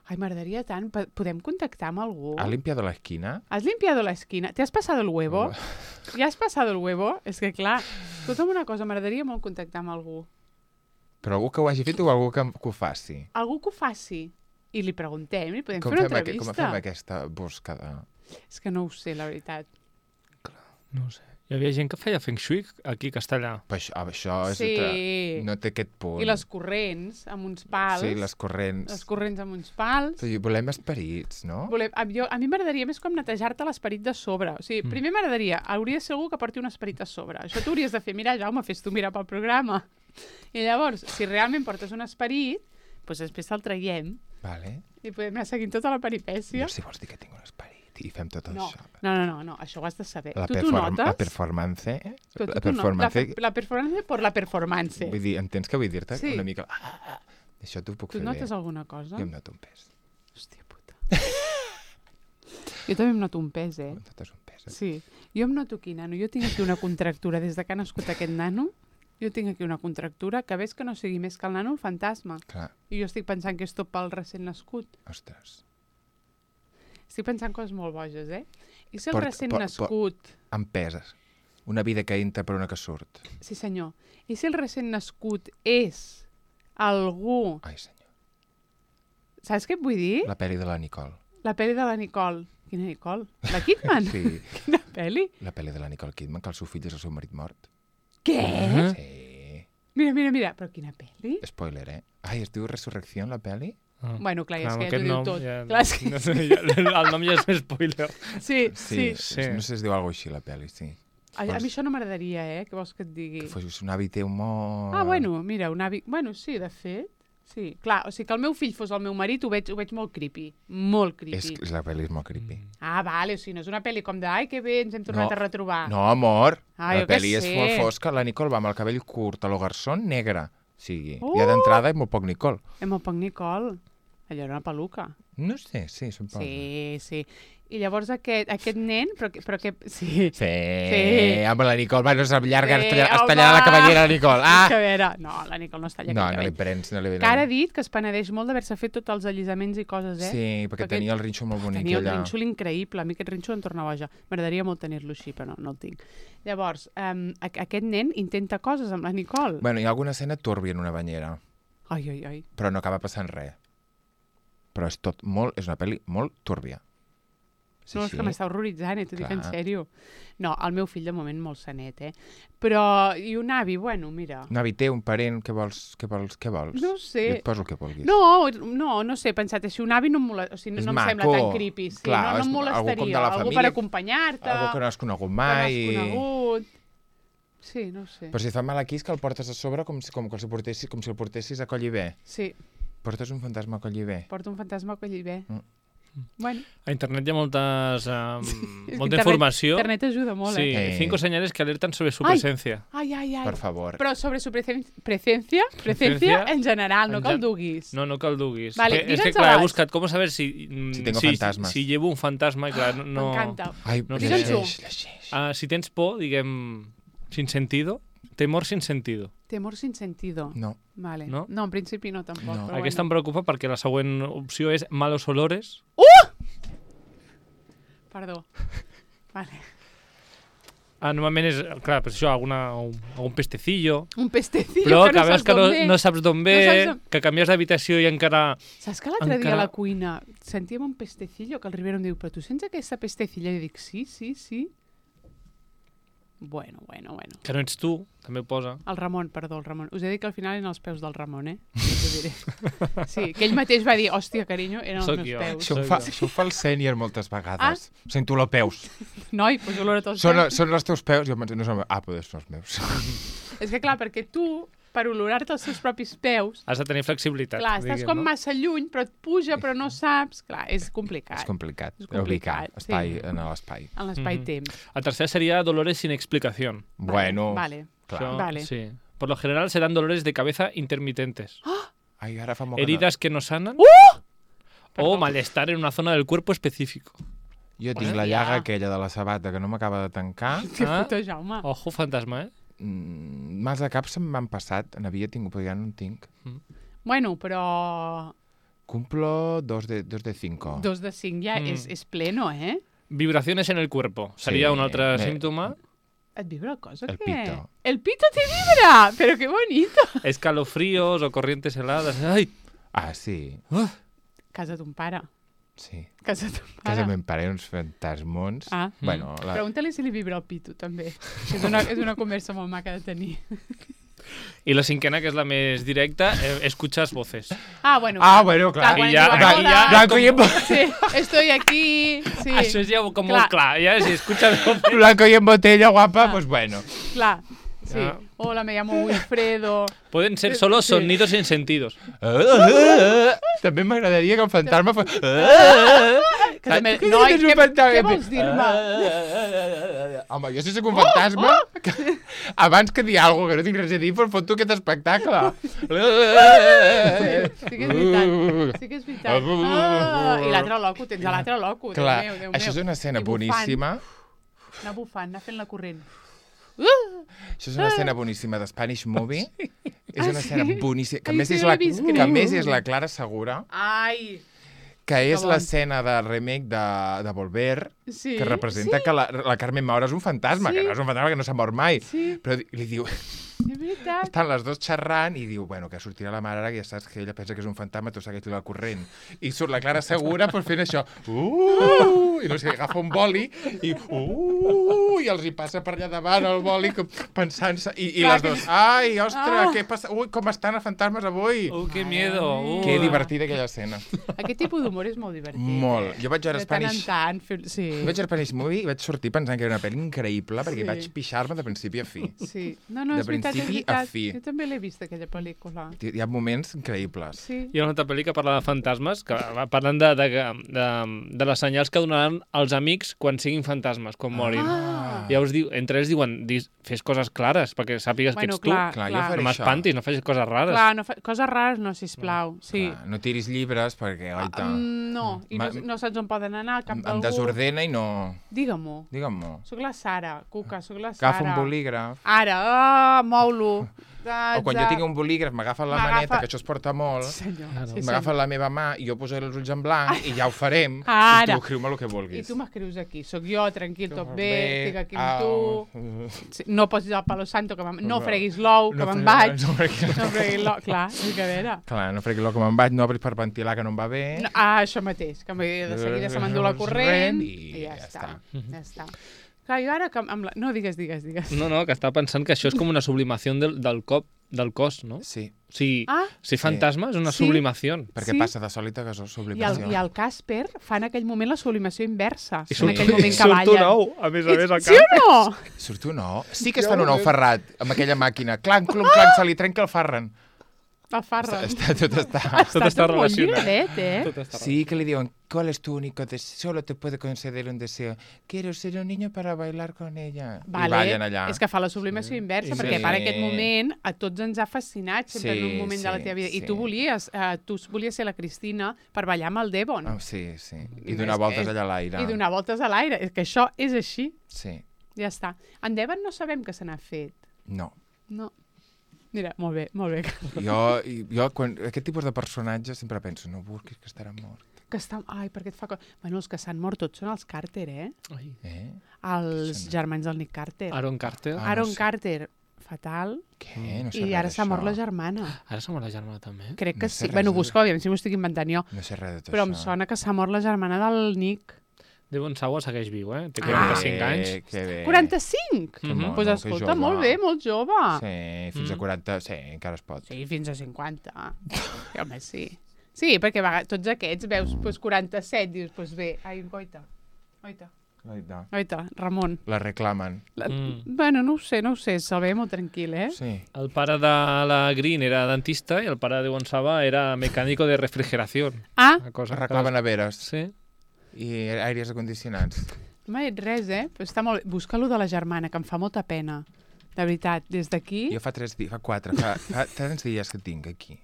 Ai, m'agradaria tant. Po- Podem contactar amb algú? ¿Ha limpiado la esquina? ¿Has limpiado la esquina? ¿Te has pasado el huevo? ¿Ya has pasado el huevo? És que, clar, escolta'm una cosa, m'agradaria molt contactar amb algú. Però algú que ho hagi fet o algú que, que ho faci? Algú que ho faci. I li preguntem, li podem Com fer una fem, aqu entrevista. com fem aquesta buscada? És que no ho sé, la veritat. No ho sé. Hi havia gent que feia feng shui aquí a Castellà. Però això, això és Sí. altra- no té aquest punt. I les corrents, amb uns pals. Sí, les corrents. Les corrents amb uns pals. Sí, volem esperits, no? Volem, a, jo, a mi m'agradaria més com netejar-te l'esperit de sobre. O sigui, Mm. primer m'agradaria, hauria de ser algú que porti un esperit a sobre. Això t'ho hauries de fer. Mira, Jaume, fes tu mirar pel programa. I llavors, si realment portes un esperit, doncs després te'l traiem Vale. i podem anar seguint tota la peripècia. Jo, si vols dir que tinc un esperit i fem tot No, això. no, no, no, no, això ho has de saber. La, tu t'ho perform notes? la performance... Tu- tu la t'ho no- performance... La, la performance per la performance. Vull dir, entens que vull dir-te? Sí. Una mica... Ah, ah, ah. Això t'ho puc Tu fer notes bé. alguna cosa? Jo em noto un pes. Hòstia puta. Jo també em noto un pes, eh? Notes un pes. Eh? Sí. Jo em noto aquí, nano. Jo tinc aquí una contractura. Des de que ha nascut aquest nano, jo tinc aquí una contractura que ves que no sigui més que el nano el fantasma. Clar, I jo estic pensant que és tot pel recent nascut. ostres. Estic pensant coses molt boges, eh? I si el Port- recent por- nascut... Em peses. Una vida que entra per una que surt. Sí, senyor. I si el recent nascut és algú... Ai, senyor. Saps què et vull dir? La pel·li de la Nicole. La pel·li de la Nicole. Quina Nicole? La Kidman? Sí, Quina pel·li? la pel·li de la Nicole Kidman, que el seu fill és el seu marit mort. Què? Eh? Sí. Mira, mira, mira. Però quina pel·li? Spoiler, eh? Ai, es diu Resurrecció, la pel·li? Ah. Bueno, clar, ja és Clar, que amb ja t'ho aquest diu nom tot. ja- Clar, és que... no sé, ja, el nom ja és més spoiler. Sí, sí. Sí. No sé si es diu alguna així, la pel·li, sí. A, a mi això no m'agradaria, eh? Què vols que et digui? Que fos un avi teu molt... Ah, bueno, mira, un avi... Bueno, sí, de fet. Sí, clar, o sigui, que el meu fill fos el meu marit ho veig, ho veig molt creepy. Molt creepy. És, és la pel·li és molt creepy. Mm. Ah, vale, o sigui, no és una pel·li com de ai, que bé, ens hem tornat No. a retrobar. No, amor. Ah, la jo què pel·li és sé. molt fosca. La Nicole va amb el cabell curt, a lo garçon, negre. O sigui, Oh! ja d'entrada és molt poc Nicole. Hem el poc Nicole. Allò era una peluca. No sé, sí, suposo. Sí, sí. I llavors aquest, aquest nen, però, que- però que... Sí. Sí, Sí. amb la Nicole, va, no és llarga, Sí, es talla- es home. tallarà la cabellera a la Nicole. Ah! Que a Ah! veure, no, la Nicole no es talla No, aquest no li cabell. prens, no li Que ara ha dit que es penedeix molt d'haver-se fet tots els allisaments i coses, eh? Sí, perquè Perquè tenia el rinxo molt bonic Tenia un allà. rínxol increïble. A mi aquest rínxol em torna boja. M'agradaria molt tenir-lo així, però no, no el tinc. Llavors, um, aquest nen intenta coses amb la Nicole. Bueno, hi ha alguna escena turbia en una banyera, Ai, ai, ai. però no acaba passant res. Però és tot molt... És una pel·li molt turbia. Sí, No, és sí. que m'està horroritzant, eh? T'ho dic en Clar. sèrio. No, el meu fill de moment molt sanet, eh? Però, i un avi, bueno, mira... Un avi teu, un parent, què vols? Què vols? Què vols? No sé. Jo et poso el que vulguis. No, no, no sé, he pensat així, un avi no em, mola... o sigui, És no em sembla maco. tan creepy. Sí, Clar, no, no és em algú com molestaria. de la Algú família, per acompanyar-te, Algú que no has conegut que no mai. has conegut... Sí, no ho sé. Però si et fa mal aquí és que el portes a sobre com si, com, com si, el portessis, com si el portessis a coll i bé. Sí, Portes un fantasma a coll i bé. porta un fantasma que allí ve. Mm. Bueno, A internet hi ha moltes, um, és que molta internet- informació. Internet ajuda molt, Sí, eh? Eh. cinco señales que alertan sobre su Ai. presencia. Ai, ai, ai. Per favor. Però sobre su presen- presencia, presencia Presencia en general, no en que el gen- duguis. No, no que el duguis. Vale, que, és que, digue'ns clar, he abans. buscat com saber si... mm, Si tengo si, fantasmas. Si llevo un fantasma, i clar, no... no M'encanta. Ai, No sé. llegeix, Digue'ns-ho. llegeix. Ah, si tens por, diguem, sin sentido, temor sin sentido. Temor sin sentido. No. Vale. No? no, en principi no, tampoc. No. Però Aquesta em bueno. preocupa perquè la següent opció és malos olores. Perdó. Vale. Ah, normalment és, clar, pues això, alguna, un, algun pestecillo, Un pestecillo però que que no veus saps que no, d'on ve. no saps d'on ve, No saps d'on- que canvies d'habitació i encara... Saps que l'altre dia Encara- a la cuina sentíem un pestecillo que el Rivera em diu, però tu sents aquesta pestecilla? I dic, sí, sí, sí. Bueno, bueno, bueno. Que no ets tu, també ho posa. El Ramon, perdó, el Ramon. Us he dit que al final eren els peus del Ramon, eh? Us ho diré. Sí, que ell mateix va dir, hòstia, carinyo, eren Soc els meus jo. peus. Això ho, fa, això ho fa el sènior moltes vegades. Ah. Sento olor a peus. Noi, doncs olor a tots Són, peus. són els teus peus? Jo penso, no són... Ah, però són els meus. És que clar, perquè tu, per olorar-te els teus propis peus, Has de tenir flexibilitat. clar, estàs diguem, com no? massa lluny, però et puja, però no saps. Clar, és complicat. És complicat. És complicat, Ubicar espai sí. en l'espai. En l'espai-temps. El tercer sería dolores sin explicación. Bueno, Vale. clar. Això, Vale. Sí. Por lo general serán dolores de cabeza intermitentes. Ai, ara fa molt Heridas que no sanan. Uh! O malestar en una zona del cuerpo específico. que no... Jo tinc la llaga aquella de la sabata que no m'acaba de tancar. Que Ah. puto Jaume. Ojo, fantasma, eh? Mm, mals de cap se'm m'han passat. N'havia tingut, però ja no en tinc. Bueno, però Cumplo dos de, dos de cinco. dos de cinc ja Mm. és, és pleno, eh? Vibraciones en el cuerpo. Sería Sí, un altre me- símptoma. Et vibra el cos o El què? pito. El pito te vibra! Pero qué bonito! Escalofríos o corrientes heladas. ¡Ay! Ah, sí. Casa ton pare. Sí. Casa ton Casa pare. meu pare, uns fantasmons. Ah. Bueno, la... Pregunta-li si li vibra el pito, també. És una, és una conversa molt maca de tenir. Y la cinquena, que es la més directa, eh, escuchas voces. Ah, bueno. Ah, bueno, clar. quan I ja- diu, aquí ja- "Hola". Blanco y en, Sí, estoy aquí. Sí, Això és ja com Clar. molt clar. Ja, si escuchas voces... blanco y en botella, guapa, Ah. pues bueno. clar. Sí. Ah. Hola, me llamo Wilfredo. Pueden ser solo Sí. sonidos sin sentidos. També m'agradaria que el fantasma fos... Que també... Què Noi, dius, un què, fantasma? què vols dir-me? Home, jo si soc un fantasma, que, abans que dir alguna cosa que no tinc res a dir, pues foto aquest espectacle. Sí que és veritat. Sí que és veritat. Ah, I l'altre loco, tens a l'altre loco. Déu Clar, meu, Déu això és meu. una escena I bufant. boníssima. Anar bufant, anar fent la corrent. Això és una escena boníssima de Spanish Movie. És una Ah, escena sí? boníssima. Que a Ai, més sí, és no la, l'he vist, que a crec. més és la Clara Segura, Ai! que és bon. l'escena de remake de, de Volver, Sí. que representa sí, que la, la Carmen Maura és un fantasma, Sí. que no és un fantasma que no s'ha mort mai. Sí, Però di- li diu, és veritat. estan les dues xerrant i diu, bueno, que sortirà la mare ara, que ja saps que ella pensa que és un fantasma, tu segueix la corrent. I surt la Clara Segura pues, fent això. Uh, I no sé, agafa un boli i uh, i els hi passa per allà davant el boli com pensant-se. I, i Clar, les que- dues, ai, ostres, Ah. què passa? Ui, com estan els fantasmes avui? Oh, qué miedo. Uh. Que divertida aquella escena. Aquest tipus d'humor és molt divertit. Molt. Eh? Jo vaig veure De tant en Spanish... tant. Fer... Sí. Vaig veure Spanish Movie i vaig sortir pensant que era una pel·li increïble perquè Sí. vaig pixar-me de principi a fi. Sí. No, no, De és veritat, és principi a veritat. fi. Jo també l'he vist, aquella pel·lícula. Hi ha moments increïbles. Sí. Hi ha una altra pel·li que parla de fantasmes, que va parlant de, de, de, de les senyals que donaran els amics quan siguin fantasmes, quan morin. Ah, Llavors, diu, entre ells diuen, dis, fes coses clares, perquè sàpigues Bueno, que ets tu. clar, Clar, jo clar. faré No això. m'espantis, no facis coses rares. Clar, no fa... coses rares no, sisplau. Sí. Clar, no tiris llibres perquè, oita, Mm, no, i no, Ma- no saps on poden anar, cap em, em d'algú. desordena i no... Digue-m'ho. Digue'm-ho. Soc la Sara, Cuca, soc la Sara. Agafa un bolígraf. Ara, ah, mou-lo. O quan jo tinc un bolígraf, m'agafa la M'agafa- maneta, que això es porta molt, Senyor, Claro. sí, m'agafa senyor. la meva mà i jo posaré els ulls en blanc i ja ho farem. Ara. I tu escriu-me el que I vulguis. tu m'escrius aquí. Soc jo, tranquil, tot bé, estic aquí amb au. tu. Sí, no posis el palo santo, que me'n- no freguis l'ou, que No me'n fregui- vaig. no fregui- No freguis l'ou. Clar, és que a veure. Clar, no fregui l'ou que me'n vaig, no obris per ventilar, que no em va bé. No, ah, això mateix, que me- de seguida se m'endú la corrent I i ja, ja està. està. Ja està. Clar, jo ara que amb la... No, digues, digues, digues. No, no, que està pensant que això és com una sublimació del, del cop, del cos, no? Sí, O sigui, Ah, ser fantasma és una Sí. sublimació. perquè Sí. passa de sòlid a gasós, i el, sublimació. i el Casper fa en aquell moment la sublimació inversa. I en surt- aquell moment que surt ballen. un ou, a més a més, al Sí o no? Surt un ou? Sí que està en un ou ferrat, amb aquella màquina. Clanc, clonc, clanc, se li trenca el farren. El Farran. Està, tot està... Tot està molt relacionat. lligadet, eh? Tot està Sí, que le diuen, ¿cuál es tu único deseo? Solo te puede conceder un deseo. Quiero ser un niño para bailar con ella. I ballen allà. És que fa la sublimació inversa, Sí. perquè Sí. per aquest moment a tots ens ha fascinat sempre Sí, en un moment de la sí, teva vida. I sí. tu volies, eh, tu volies ser la Cristina per ballar amb el Devon. Oh, sí, sí. I És donar que- voltes allà a l'aire. I donar voltes a l'aire. És que això és així. Sí. Ja està. En Devon no sabem que se n'ha fet. No. No. Mira, molt bé, molt bé. Jo, jo quan, aquest tipus de personatges sempre penso, no busquis que estarà mort. Que està... Ai, perquè et fa... co- Bueno, els que s'han mort tots són els Carter, eh? Ai. Eh? Els Sembla. germans del Nick Carter. Aaron Carter. Ah, Aaron no sé. Carter, fatal. Què? No sé I res ara s'ha mort la d'això. germana. Ara som la germana també. Crec No que sé sí. res Bueno, de- busca, aviam si m'ho estic inventant jo. No sé res de tot Però em això. sona que s'ha mort la germana del Nick. Devon Sawa segueix viu, eh? Té Ah. quaranta-cinc anys. Eh, que bé. quaranta-cinc? Que Mhm. mono, Doncs pues que escolta, jove. molt bé, molt jove. Sí, fins a Mm. quaranta, sí, encara es pot. Sí, fins a cinquanta. Sí, home, sí. Sí, perquè a vegades tots aquests veus pues, quaranta-set, dius, doncs pues bé, ai, oita, oita, Oita. oita, Ramon. La reclamen. La... Mm. Bueno, no ho sé, no ho sé, se'l veia molt tranquil, eh? Sí. El pare de la Green era dentista i el pare de Devon Sawa era mecànico de refrigeració. Ah, Una cosa que- Reclamen a veres Sí. i aires acondicionats. no m'ha dit res, eh? Però està molt bé. Busca-lo de la germana, que em fa molta pena. De veritat, des d'aquí... Jo fa tres dies, fa quatre, fa, fa tants dies que tinc aquí.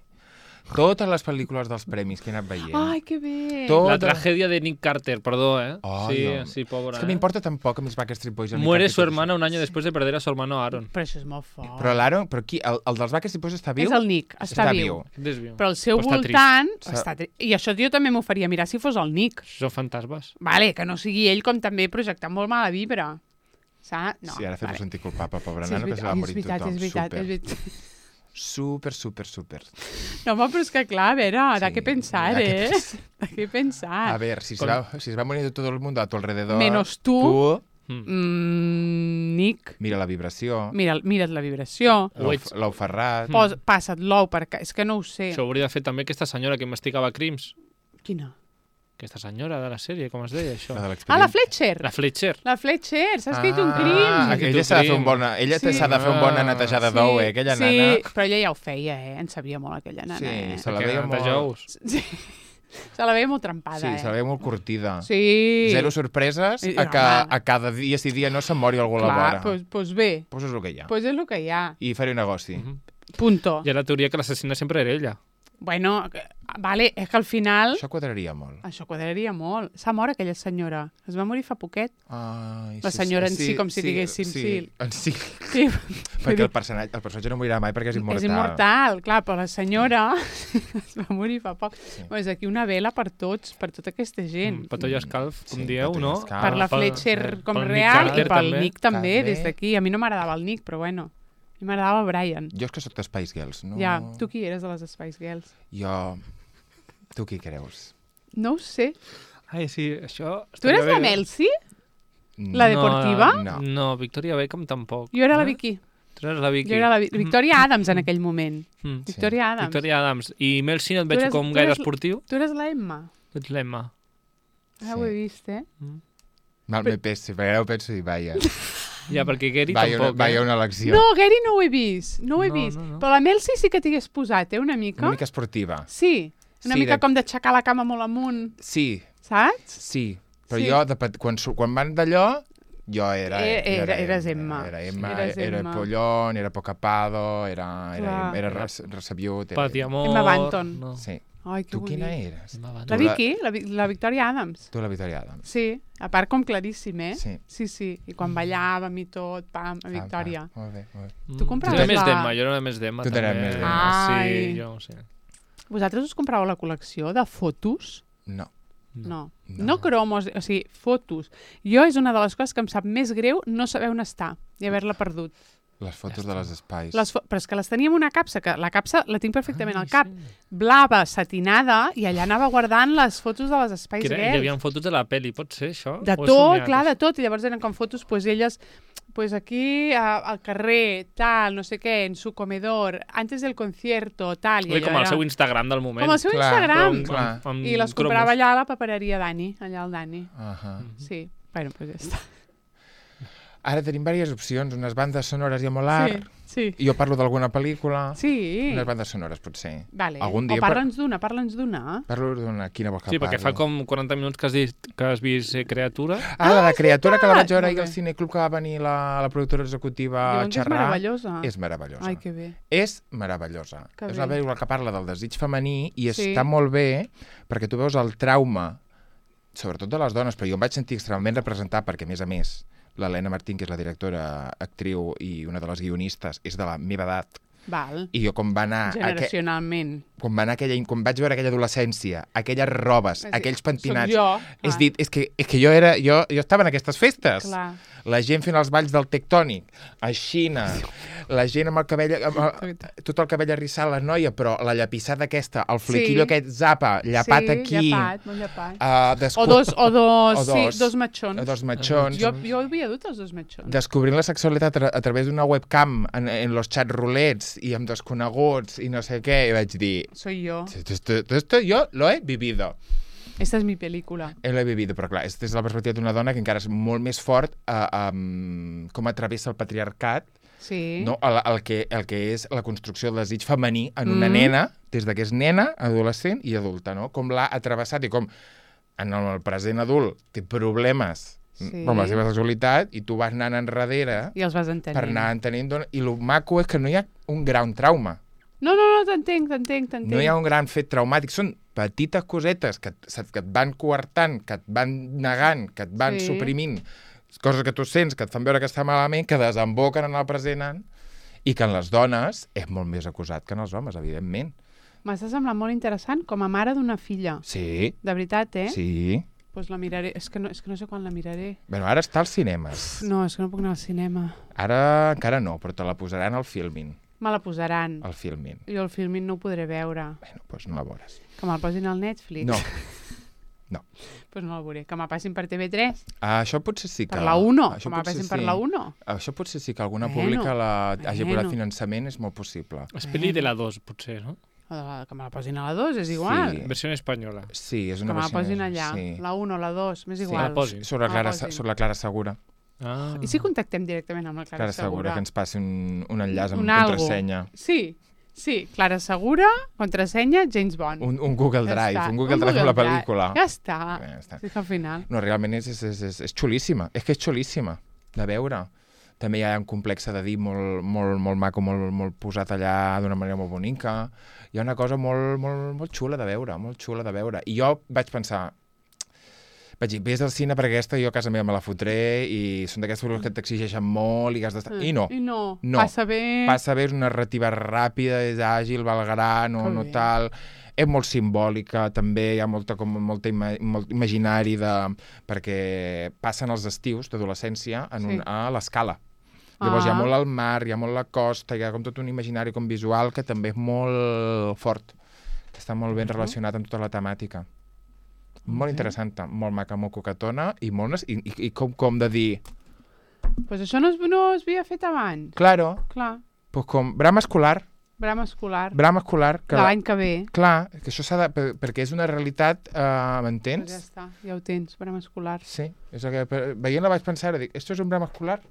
Totes les pel·lícules dels premis que he anat veient. Ai, que bé! Tot- La tragèdia de Nick Carter, perdó, ¿eh? Ai, sí, home. sí, pobre. És que m'importa tan poc a mis Backstreet Boys. el Muere Nick su Carter. hermana un año después de perder a su hermano Aaron. Però això és molt fort. Però l'Aaron, però qui? El, el dels Backstreet Boys està viu? És el Nick, està, viu. Desvió. Però al seu Però està voltant... trist. Està tri... I això jo també m'ho faria mirar si fos el Nick. Són fantasmes. Vale, que no sigui ell com també projectant molt mala vibra. Saps? No, Sí, ara fem-ho sentir culpable, pobre Sí, és nano, que se veritat, va és morir veritat, tothom. és veritat, Super, és veritat. super, super, super. No, home, però és que clar, a veure, de Sí, què pensar, de què eh? pensar. De què pensar? A ver, si se, Con- va, si se va morir tot el mundo a tu alrededor... Menos tu. Tu, Mm. Mm, Nick, mira la vibració, mira, mira't la vibració, Ho l'ou ets. l'ou ferrat... pos, passa't l'ou per ca... És que no ho sé. Això ho hauria de fer també aquesta senyora que investigava crims. Quina? Aquesta senyora de la sèrie, com es deia això? La de Ah, l'expedient. la Fletcher! La Fletcher. La Fletcher, s'ha escrit un Ah, crim. que ella s'ha de fer un crim. bona, ella Sí. s'ha de fer un bona Ah, netejada d'ou, eh, aquella sí, nana. però ella ja ho feia, eh? En sabia molt, aquella nana, Sí, eh? se la Que veia neteja molt... ous. Sí. Se la veia molt trempada, Sí, eh? se la veia molt curtida. Sí. Zero sorpreses I- a que home. a cada dia si dia no se'n mori algú a la Clar, vora. pues, pues bé, Pues és el que hi ha. pues és el que hi ha. I faré un negoci. Mhm. Punto. Hi ha la teoria que l'assassina sempre era ella. Bueno, que- vale, és que al final... Això quadraria molt. Això quadraria molt. S'ha mort aquella senyora. Es va morir fa poquet. Ai, La senyora en si, com si diguéssim, sí. En si. Sí, Perquè el personatge, el personatge no morirà mai perquè és immortal. és immortal, clar, però la senyora es va morir fa poc. Sí. Bueno, és aquí una vela per tots, per tota aquesta gent. Mm, Patollo Escalf, com Sí, dieu, Patollo no? Escalf. Per la Pel- Fletcher eh, com pel Nick real i Carter pel també. Nick també, També. des d'aquí. A mi no m'agradava el Nick, però bueno. A mi m'agradava el Brian. Jo és que sóc de Spice Girls, no? Ja, tu qui eres de les Spice Girls? Jo... Tu qui creus? No ho sé. Ai, sí, això... Tu eres estaria la bé. Melsi? La deportiva? No. No, Victoria Beckham tampoc. Jo era la Eh? Vicky. Tu eres la Vicky. Jo era la Vi- Victoria Adams en aquell moment. Mm. Sí. Victoria Adams. Victoria Adams. I Mel C no et Tu veig eres- com tu gaire eres- esportiu. Tu eres la Emma. Tu ets l'Emma. Ah, Sí. ho he vist, eh? Mal me pesi, perquè ara ho penso i vaja. Ja, perquè Gary Vaja una, tampoc, vaja eh? una elecció. No, Gary no ho he vist. No ho he No, vist. no, no. Però la Melsi sí que t'hagués posat, eh? Una mica. Una mica esportiva. Sí. Una Sí, mica de- com d'aixecar la cama molt amunt, Sí, saps? sí. Però Sí. jo, de, pet- quan, su- quan van d'allò, Jo era... Era- era, era- eres Emma. Era Emma, Eres era Emma. Pollón, era Pocapado, era, era, Clar. era res, Resabiut. Era, Pati Amor... Emma Banton. No. Sí. Ai, que Tu quina bonic. eres? Emma Banton. La Tu la- Vicky, la, Vi- la Victoria Adams. Tu la Victoria Adams. Sí, a part com claríssim, eh? Sí. Sí, sí. I quan ballàvem i tot, pam, a Victòria. Ah, molt bé, molt bé. Mm. Tu compraves Jo era més la- d'Emma, jo era més d'Emma. Tu t'eres també. més d'Emma. Ai. Sí, jo, sí. Vosaltres us compràveu la col·lecció de fotos? No. No. No. No cromos, o sigui, fotos. Jo és una de les coses que em sap més greu no saber on està i haver-la perdut. Les fotos de les espais. Les fo però és que les teníem en una capsa, que la capsa la tinc perfectament Ai, al cap. sí. Blava, satinada, i allà anava guardant les fotos de les espais Que era, hi girls. havia fotos de la peli, pot ser això? De O he tot, somiat, clar, això? de tot. I llavors eren com fotos, pues elles, pues aquí a, al carrer, tal, no sé què, en su comedor, antes del concierto, tal. I Ui, allò com el era- seu Instagram del moment. Com el seu Clar, Instagram. però- clar. Amb, amb I les cromos. comprava allà a la papereria Dani, allà al Dani. Ahà. Sí, bueno, pues ja està. Ara tenim diverses opcions, unes bandes sonores i a molar. Sí, sí. Jo parlo d'alguna pel·lícula. Sí. Unes bandes sonores, potser. Vale. Algun dia O parla'ns d'una, parla'ns d'una. Parlo d'una... Quina vols que Sí, perquè fa parli? com quaranta minuts que has, dit, que has vist eh, Creatura. Ah, la de Creatura, que la vaig veritat! veure ahir Molt al bé. Cineclub, que va venir la, la productora executiva a Diuen que és xerrar. meravellosa. És meravellosa. Ai, que bé. És meravellosa. Que és bé. una pel·lícula que parla del desig femení i Sí. està molt bé perquè tu veus el trauma, sobretot de les dones, però jo em vaig sentir extremadament representat perquè, a més a més, l'Helena Martín, que és la directora, actriu i una de les guionistes, és de la meva edat. Val. I jo com va anar... Aqu... Generacionalment. Quan, va anar aquella, quan vaig veure aquella adolescència, aquelles robes, És a dir, aquells pentinats... Soc jo. És clar. dit, és que, és que jo, era, jo, jo estava en aquestes festes. Clar. La gent fent els balls del tectònic, a Xina, la gent amb el cabell, amb el, tot el cabell arrissat, la noia, però la llapissada aquesta, el flequillo Sí. aquest zapa, llapat sí, aquí... llapat, molt llapat. Uh, descu... O dos, o dos, o sí, dos. dos matxons. dos matxons. Jo, jo havia dut els dos matxons. Descobrint la sexualitat a, a través d'una webcam en, en los chats rulets i amb desconeguts i no sé què, i vaig dir... Soy yo. Esto, esto, esto yo lo he vivido. Esta es mi película. Eh, L'he vivido, però clar, és des de la perspectiva d'una dona que encara és molt més fort a, um, com travessa el patriarcat, Sí. no? el, el, que, el que és la construcció del desig femení en una Mm. nena, des de que és nena, adolescent i adulta, no? Com l'ha atrevessat i com en el present adult té problemes Sí. amb la seva sexualitat i tu vas anant enrere I els vas entenent. per anar entenent d'on... I el maco és que no hi ha un gran trauma. No, no, no, t'entenc, t'entenc, t'entenc. No hi ha un gran fet traumàtic. Són petites cosetes que, et- que et van coartant, que et van negant, que et van Sí. suprimint, coses que tu sents, que et fan veure que està malament, que desemboquen en el present i que en les dones és molt més acusat que en els homes, evidentment. M'està semblant molt interessant com a mare d'una filla. Sí, De veritat, eh? sí. Pues la miraré. És que, no, és que no sé quan la miraré. Bueno, ara està als cinemes. No, és que no puc anar al cinema. Ara encara no, però te la posaran al Filmin. Me la posaran. Al Filmin. Jo el filmin no ho podré veure. Bueno, doncs no la veuràs. Que me'l posin al Netflix. No. Pues no el veuré. Que me passin per T V tres. Ah, això potser sí que... Per la uno. això Que me potser passin per sí. la uno. Això potser sí que alguna Bueno, pública la, hagi bueno. posat finançament, és molt possible. És pel·li de la dos, potser, no? O de la, que me la posin a la dos, és igual. Sí. Versió espanyola. Sí, és Que una me la versió posin més- allà. Sí. La uno, la dos, m'és Sí. igual. la posin. Sobre, Me Clara, la posin. sobre la Clara Segura. Ah. I si contactem directament amb la Clara, Clara Segura, que ens passi un, un enllaç amb Un una algo. contrasenya. Sí, sí. Clara Segura, contrasenya, James Bond. Un, un Google Ja Drive, està. un Google Drive amb la Drive. pel·lícula. Ja està. Ja està. Sí, que al final... No, realment és, és, és, és, és xulíssima. És que és xulíssima de veure. També hi ha un complex de dir molt, molt, molt maco, molt, molt posat allà d'una manera molt bonica. Hi ha una cosa molt, molt, molt xula de veure, molt xula de veure. I jo vaig pensar, vaig dir, vés al cine perquè aquesta jo a casa meva me la fotré i són d'aquestes pel·lícules que t'exigeixen molt i que has d'estar... I no. I no. No. Passa bé. Passa bé, és una narrativa ràpida, és àgil, valgarà, no, Que no bé. tal... És molt simbòlica, també hi ha molta, com, molta ima, molt imaginari de, perquè passen els estius d'adolescència en un, Sí. a l'escala. Llavors hi ha Ah. molt el mar, hi ha molt la costa, hi ha com tot un imaginari com visual que també és molt fort, que està molt ben relacionat amb tota la temàtica. Molt interessant, molt maca, molt coquetona i, molt, nes- i, i, i com, com de dir, Pues això no es, no es havia fet abans. claro, Clar. pues com brama escolar, Brama escolar. brama escolar, que De la- l'any que ve. clar, que això s'ha de... per- perquè és una realitat, eh, m'entens? Pues ja està, ja ho tens, brama escolar. Sí, és el que, per- veient-la vaig pensar, ara, dic, esto és un brama escolar?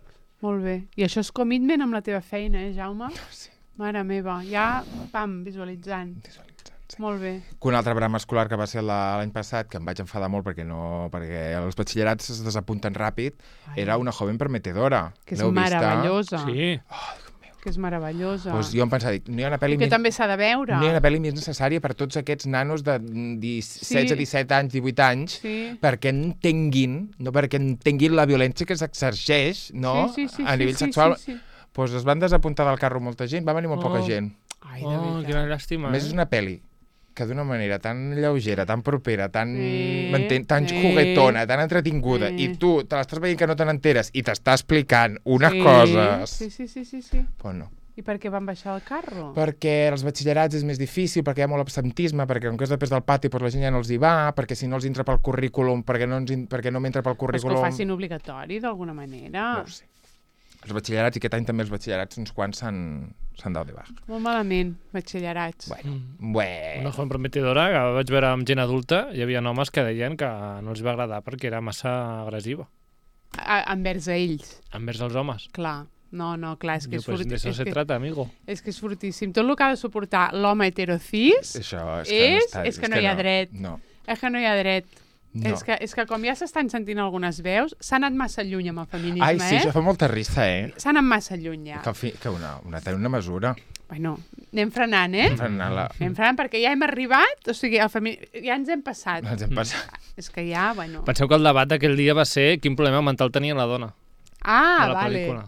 Molt bé. I això és commitment amb la teva feina, eh, Jaume? Sí, Mare meva, ja, pam, visualitzant. visualitzant. Sí. Molt bé. Que un altre drama escolar que va ser l'any passat, que em vaig enfadar molt perquè no perquè els batxillerats es desapunten ràpid, Ai. era Una joven prometedora. Que és meravellosa. Sí. Oh, que és meravellosa. Pues jo em pensava, dic, no hi ha una pel·li I que més... també s'ha de veure. No hi ha una pel·li més necessària per tots aquests nanos de setze, disset anys, divuit anys, sí. perquè entenguin, no perquè entenguin la violència que s'exergeix, no? Sí, sí, sí, a nivell sí, sexual. Sí, sí, sí. Pues es van desapuntar del carro molta gent, va venir molt Oh. poca gent. Ai, de Oh, veritat. quina llàstima. A més, és una pel·li que d'una manera tan lleugera, tan propera, tan, Sí, m'entén, tan sí. juguetona, tan entretinguda, Sí. i tu te l'estàs veient que no te n'enteres i t'està explicant unes sí. coses... Sí, sí, sí, sí, sí. Pues no. I per què van baixar el carro? Perquè els batxillerats és més difícil, perquè hi ha molt absentisme, perquè com que és després del pati doncs la gent ja no els hi va, perquè si no els entra pel currículum, perquè no, ens, in- perquè no m'entra pel Però és que currículum... ho facin obligatori, d'alguna manera. No ho sé. Els batxillerats, i aquest any també els batxillerats, uns quants s'han s'han dado de baix. Molt malament, batxillerats. Bueno, Mm. Bé. Una joven prometedora que vaig veure amb gent adulta, hi havia homes que deien que no els va agradar perquè era massa agressiva A, envers a ells, envers els homes. clar. No, no, clar, és que Diu, és, pues forti... de eso és, se que, trata, amigo. és que és fortíssim. Tot el que ha de suportar l'home heterocis Això és que, no és, està, és que no hi ha dret. No. És que no hi ha dret. no. És, que, és que com ja s'estan sentint algunes veus, s'ha anat massa lluny amb el feminisme, Ai, sí, eh? això fa molta risa, eh? S'ha anat massa lluny, ja. Que, fi, que una, una, una mesura. Bueno, anem frenant, eh? Frenant-la. Anem frenant perquè ja hem arribat, o sigui, el femi... ja ens hem passat. Ens hem passat. És que ja, bueno... Penseu que el debat d'aquell dia va ser quin problema mental tenia la dona Ah, de la vale. pel·lícula.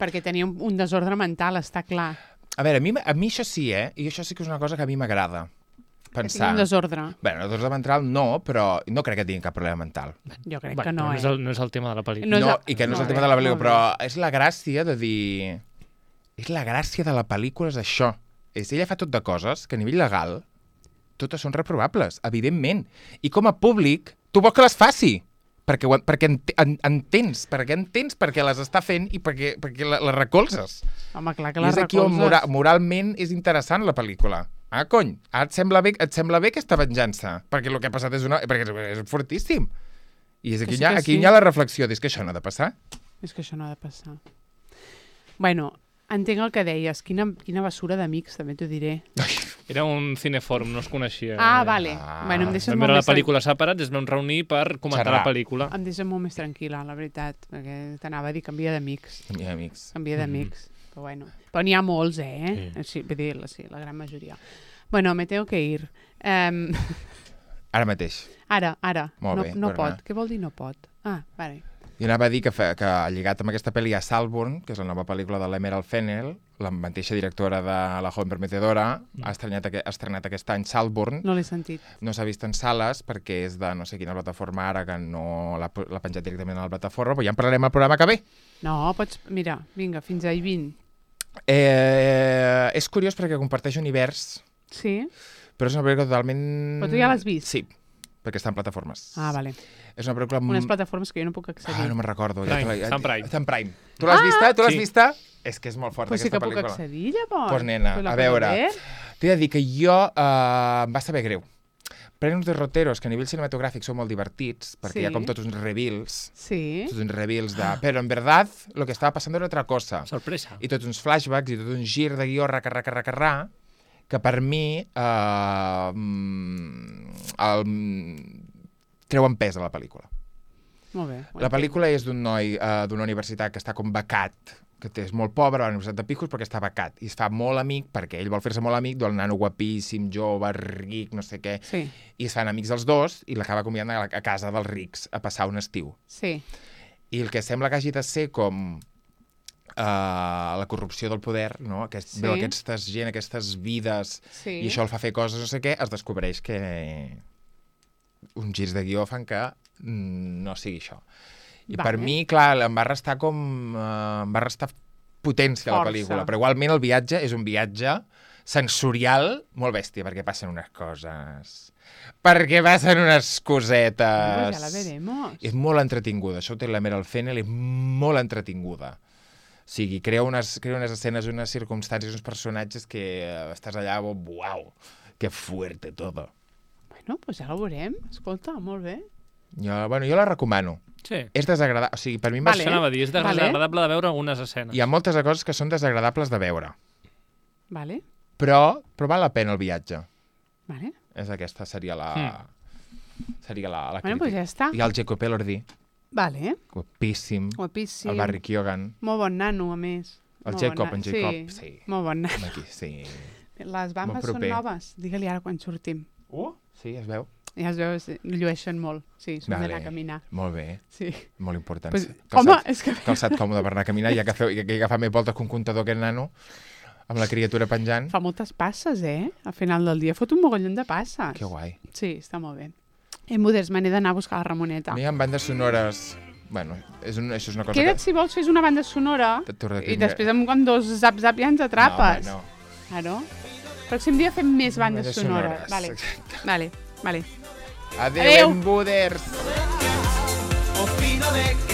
Perquè tenia un, un desordre mental, està clar. A veure, a mi, a mi això sí, eh? I això sí que és una cosa que a mi m'agrada. Que tingui Pensar... un desordre. Bueno, desordre mental no, però no crec que tingui cap problema mental. Jo crec Bueno, que no, però no, eh? és el, no és el tema de la pel·lícula. No No, és el- i que no és el molt tema bé, de la pel·lícula, molt però és la gràcia de dir... És la gràcia de la pel·lícula, és això. És, ella fa tot de coses que a nivell legal totes són reprovables, evidentment. I com a públic, tu vols que les faci. Perquè, ho- perquè ent, en, entens, perquè entens perquè les està fent i perquè, perquè la, les recolzes. Home, clar que I les és aquí on recolzes. mora, moralment és interessant la pel·lícula. Ah, cony, ara et sembla bé, et sembla bé aquesta venjança? Perquè el que ha passat és, una, perquè és, és fortíssim. I és aquí, Que sí hi ha, que aquí sí. hi ha la reflexió, és que això no ha de passar. És que això no ha de passar. Bueno, entenc el que deies. Quina, quina basura d'amics, també t'ho diré. Era un cinefòrum, no es coneixia. Ah, vale. Ah. Bueno, em deixes Vam molt veure la més tran- pel·lícula separats, es vam reunir per comentar Xerrar. la pel·lícula. Em deixes molt més tranquil·la, la veritat, perquè t'anava a dir canvia d'amics. I amics. Canvia d'amics. Però bueno. Però n'hi ha molts, eh? Sí. Sí, vull dir, la, sí, la gran majoria. Bueno, me tengo que ir. Um, Ara mateix. ara, ara. Molt no, bé, no per pot. anar. Què vol dir no pot? Ah, vale. I anava a dir que, fa, que lligat amb aquesta pel·li a Saltburn, que és la nova pel·lícula de l'Emerald Fennell, la mateixa directora de La joven prometedora, ha estrenat, aqu ha estrenat aquest any Saltburn. No l'he sentit. No s'ha vist en sales perquè és de no sé quina plataforma ara, que no l'ha l'ha penjat directament a la plataforma, però ja en parlarem al programa que ve. No, pots... Mira, vinga, fins a hi vint. Eh, és curiós perquè comparteix univers, Sí? però és una pel·lícula totalment... Però tu ja l'has vist? Sí, perquè està en plataformes. Ah, vale. És una pel·lícula... Unes plataformes que jo no puc accedir. Ah, no me'n recordo. Prime, te la- està en Prime. Està en Prime. Tu l'has vista? Tu l'has sí. vista? És que és molt forta, Pues sí aquesta que puc pel·lícula. accedir, llavors. Pues, nena, Pues la a puedo veure, ver. t'he de dir que jo eh, em va saber greu. Prenen uns derroteros que a nivell cinematogràfic són molt divertits, perquè Sí. hi ha com tots uns reveals, Sí. tots uns reveals de... Però en verdad, lo que estava passant era otra cosa. Sorpresa. I tots uns flashbacks i tot un gir de guió, raca, raca, raca, raca, que per mi eh, mm, el, treuen pes a la pel·lícula. Molt bé. ho La entenc. pel·lícula és d'un noi uh, d'una universitat que està com becat, que té, és molt pobre a la Universitat de Picos perquè està becat, i es fa molt amic, perquè ell vol fer-se molt amic del nano guapíssim, jove, ric, no sé què, Sí, i es fan amics els dos, i l'acaba convidant a, la- a casa dels rics a passar un estiu. sí. I el que sembla que hagi de ser com uh, la corrupció del poder, no? Aquest, Sí. veu aquesta gent, aquestes vides, Sí. i això el fa fer coses, no sé què, es descobreix que uns girs de guió fan que mm, no sigui això. I Vale. per mi, clar, em va restar com... Uh, em va restar potència a la Força. pel·lícula, però igualment el viatge és un viatge sensorial molt bèstia, perquè passen unes coses... Perquè passen unes cosetes... Pues ja la veremos. És molt entretinguda, això ho té l'Emerald Fennell, és molt entretinguda. O sigui, crea unes, crea unes escenes, unes circumstàncies, uns personatges que eh, estàs allà, oh, uau, que fuerte todo. Bueno, pues ja la veurem. Escolta, molt bé. Jo, bueno, jo la recomano. Sí. És desagradable, o sigui, per mi em va Vale. Això anava a dir, és Vale. desagradable de veure algunes escenes. Hi ha moltes coses que són desagradables de veure, Vale. però, però val la pena el viatge. Vale. És aquesta, seria la... Mm. Seria la, la Bueno, crítica. pues ja està. I el Jacob Elordi, Vale. guapíssim. Guapíssim. El Barry Keoghan. Molt bon nano, a més. El Molt Jacob, bon en nano. Jacob, Sí, sí. molt bon nano. Home, aquí, sí. Les bambes Molt són proper. noves. Digue-li ara quan sortim. Uh, sí, es veu. Ja es veu, sí, llueixen molt. Sí, s'ho Vale. d'anar a caminar. Molt bé, Sí. molt important. Pues, Calçat- home, és que... Calçat còmode per anar a caminar, ja que, feu, que agafar més voltes que un comptador aquest nano, amb la criatura penjant. Fa moltes passes, eh? Al final del dia fot un mogollon de passes. Que guai. Sí, està molt bé. I moders, me n'he d'anar a buscar la Ramoneta. A mi hi ha bandes sonores... Bueno, és un, això és una cosa Queda't, que... si vols, fes una banda sonora T'ho recrimi- i després amb quan dos zap-zap ja ens atrapes. No, home, no. Claro. Pròxim dia fem més bandes Bandes sonores. sonores, Vale, exacte. vale, vale. Adéu, Adéu. embuders! Opino de que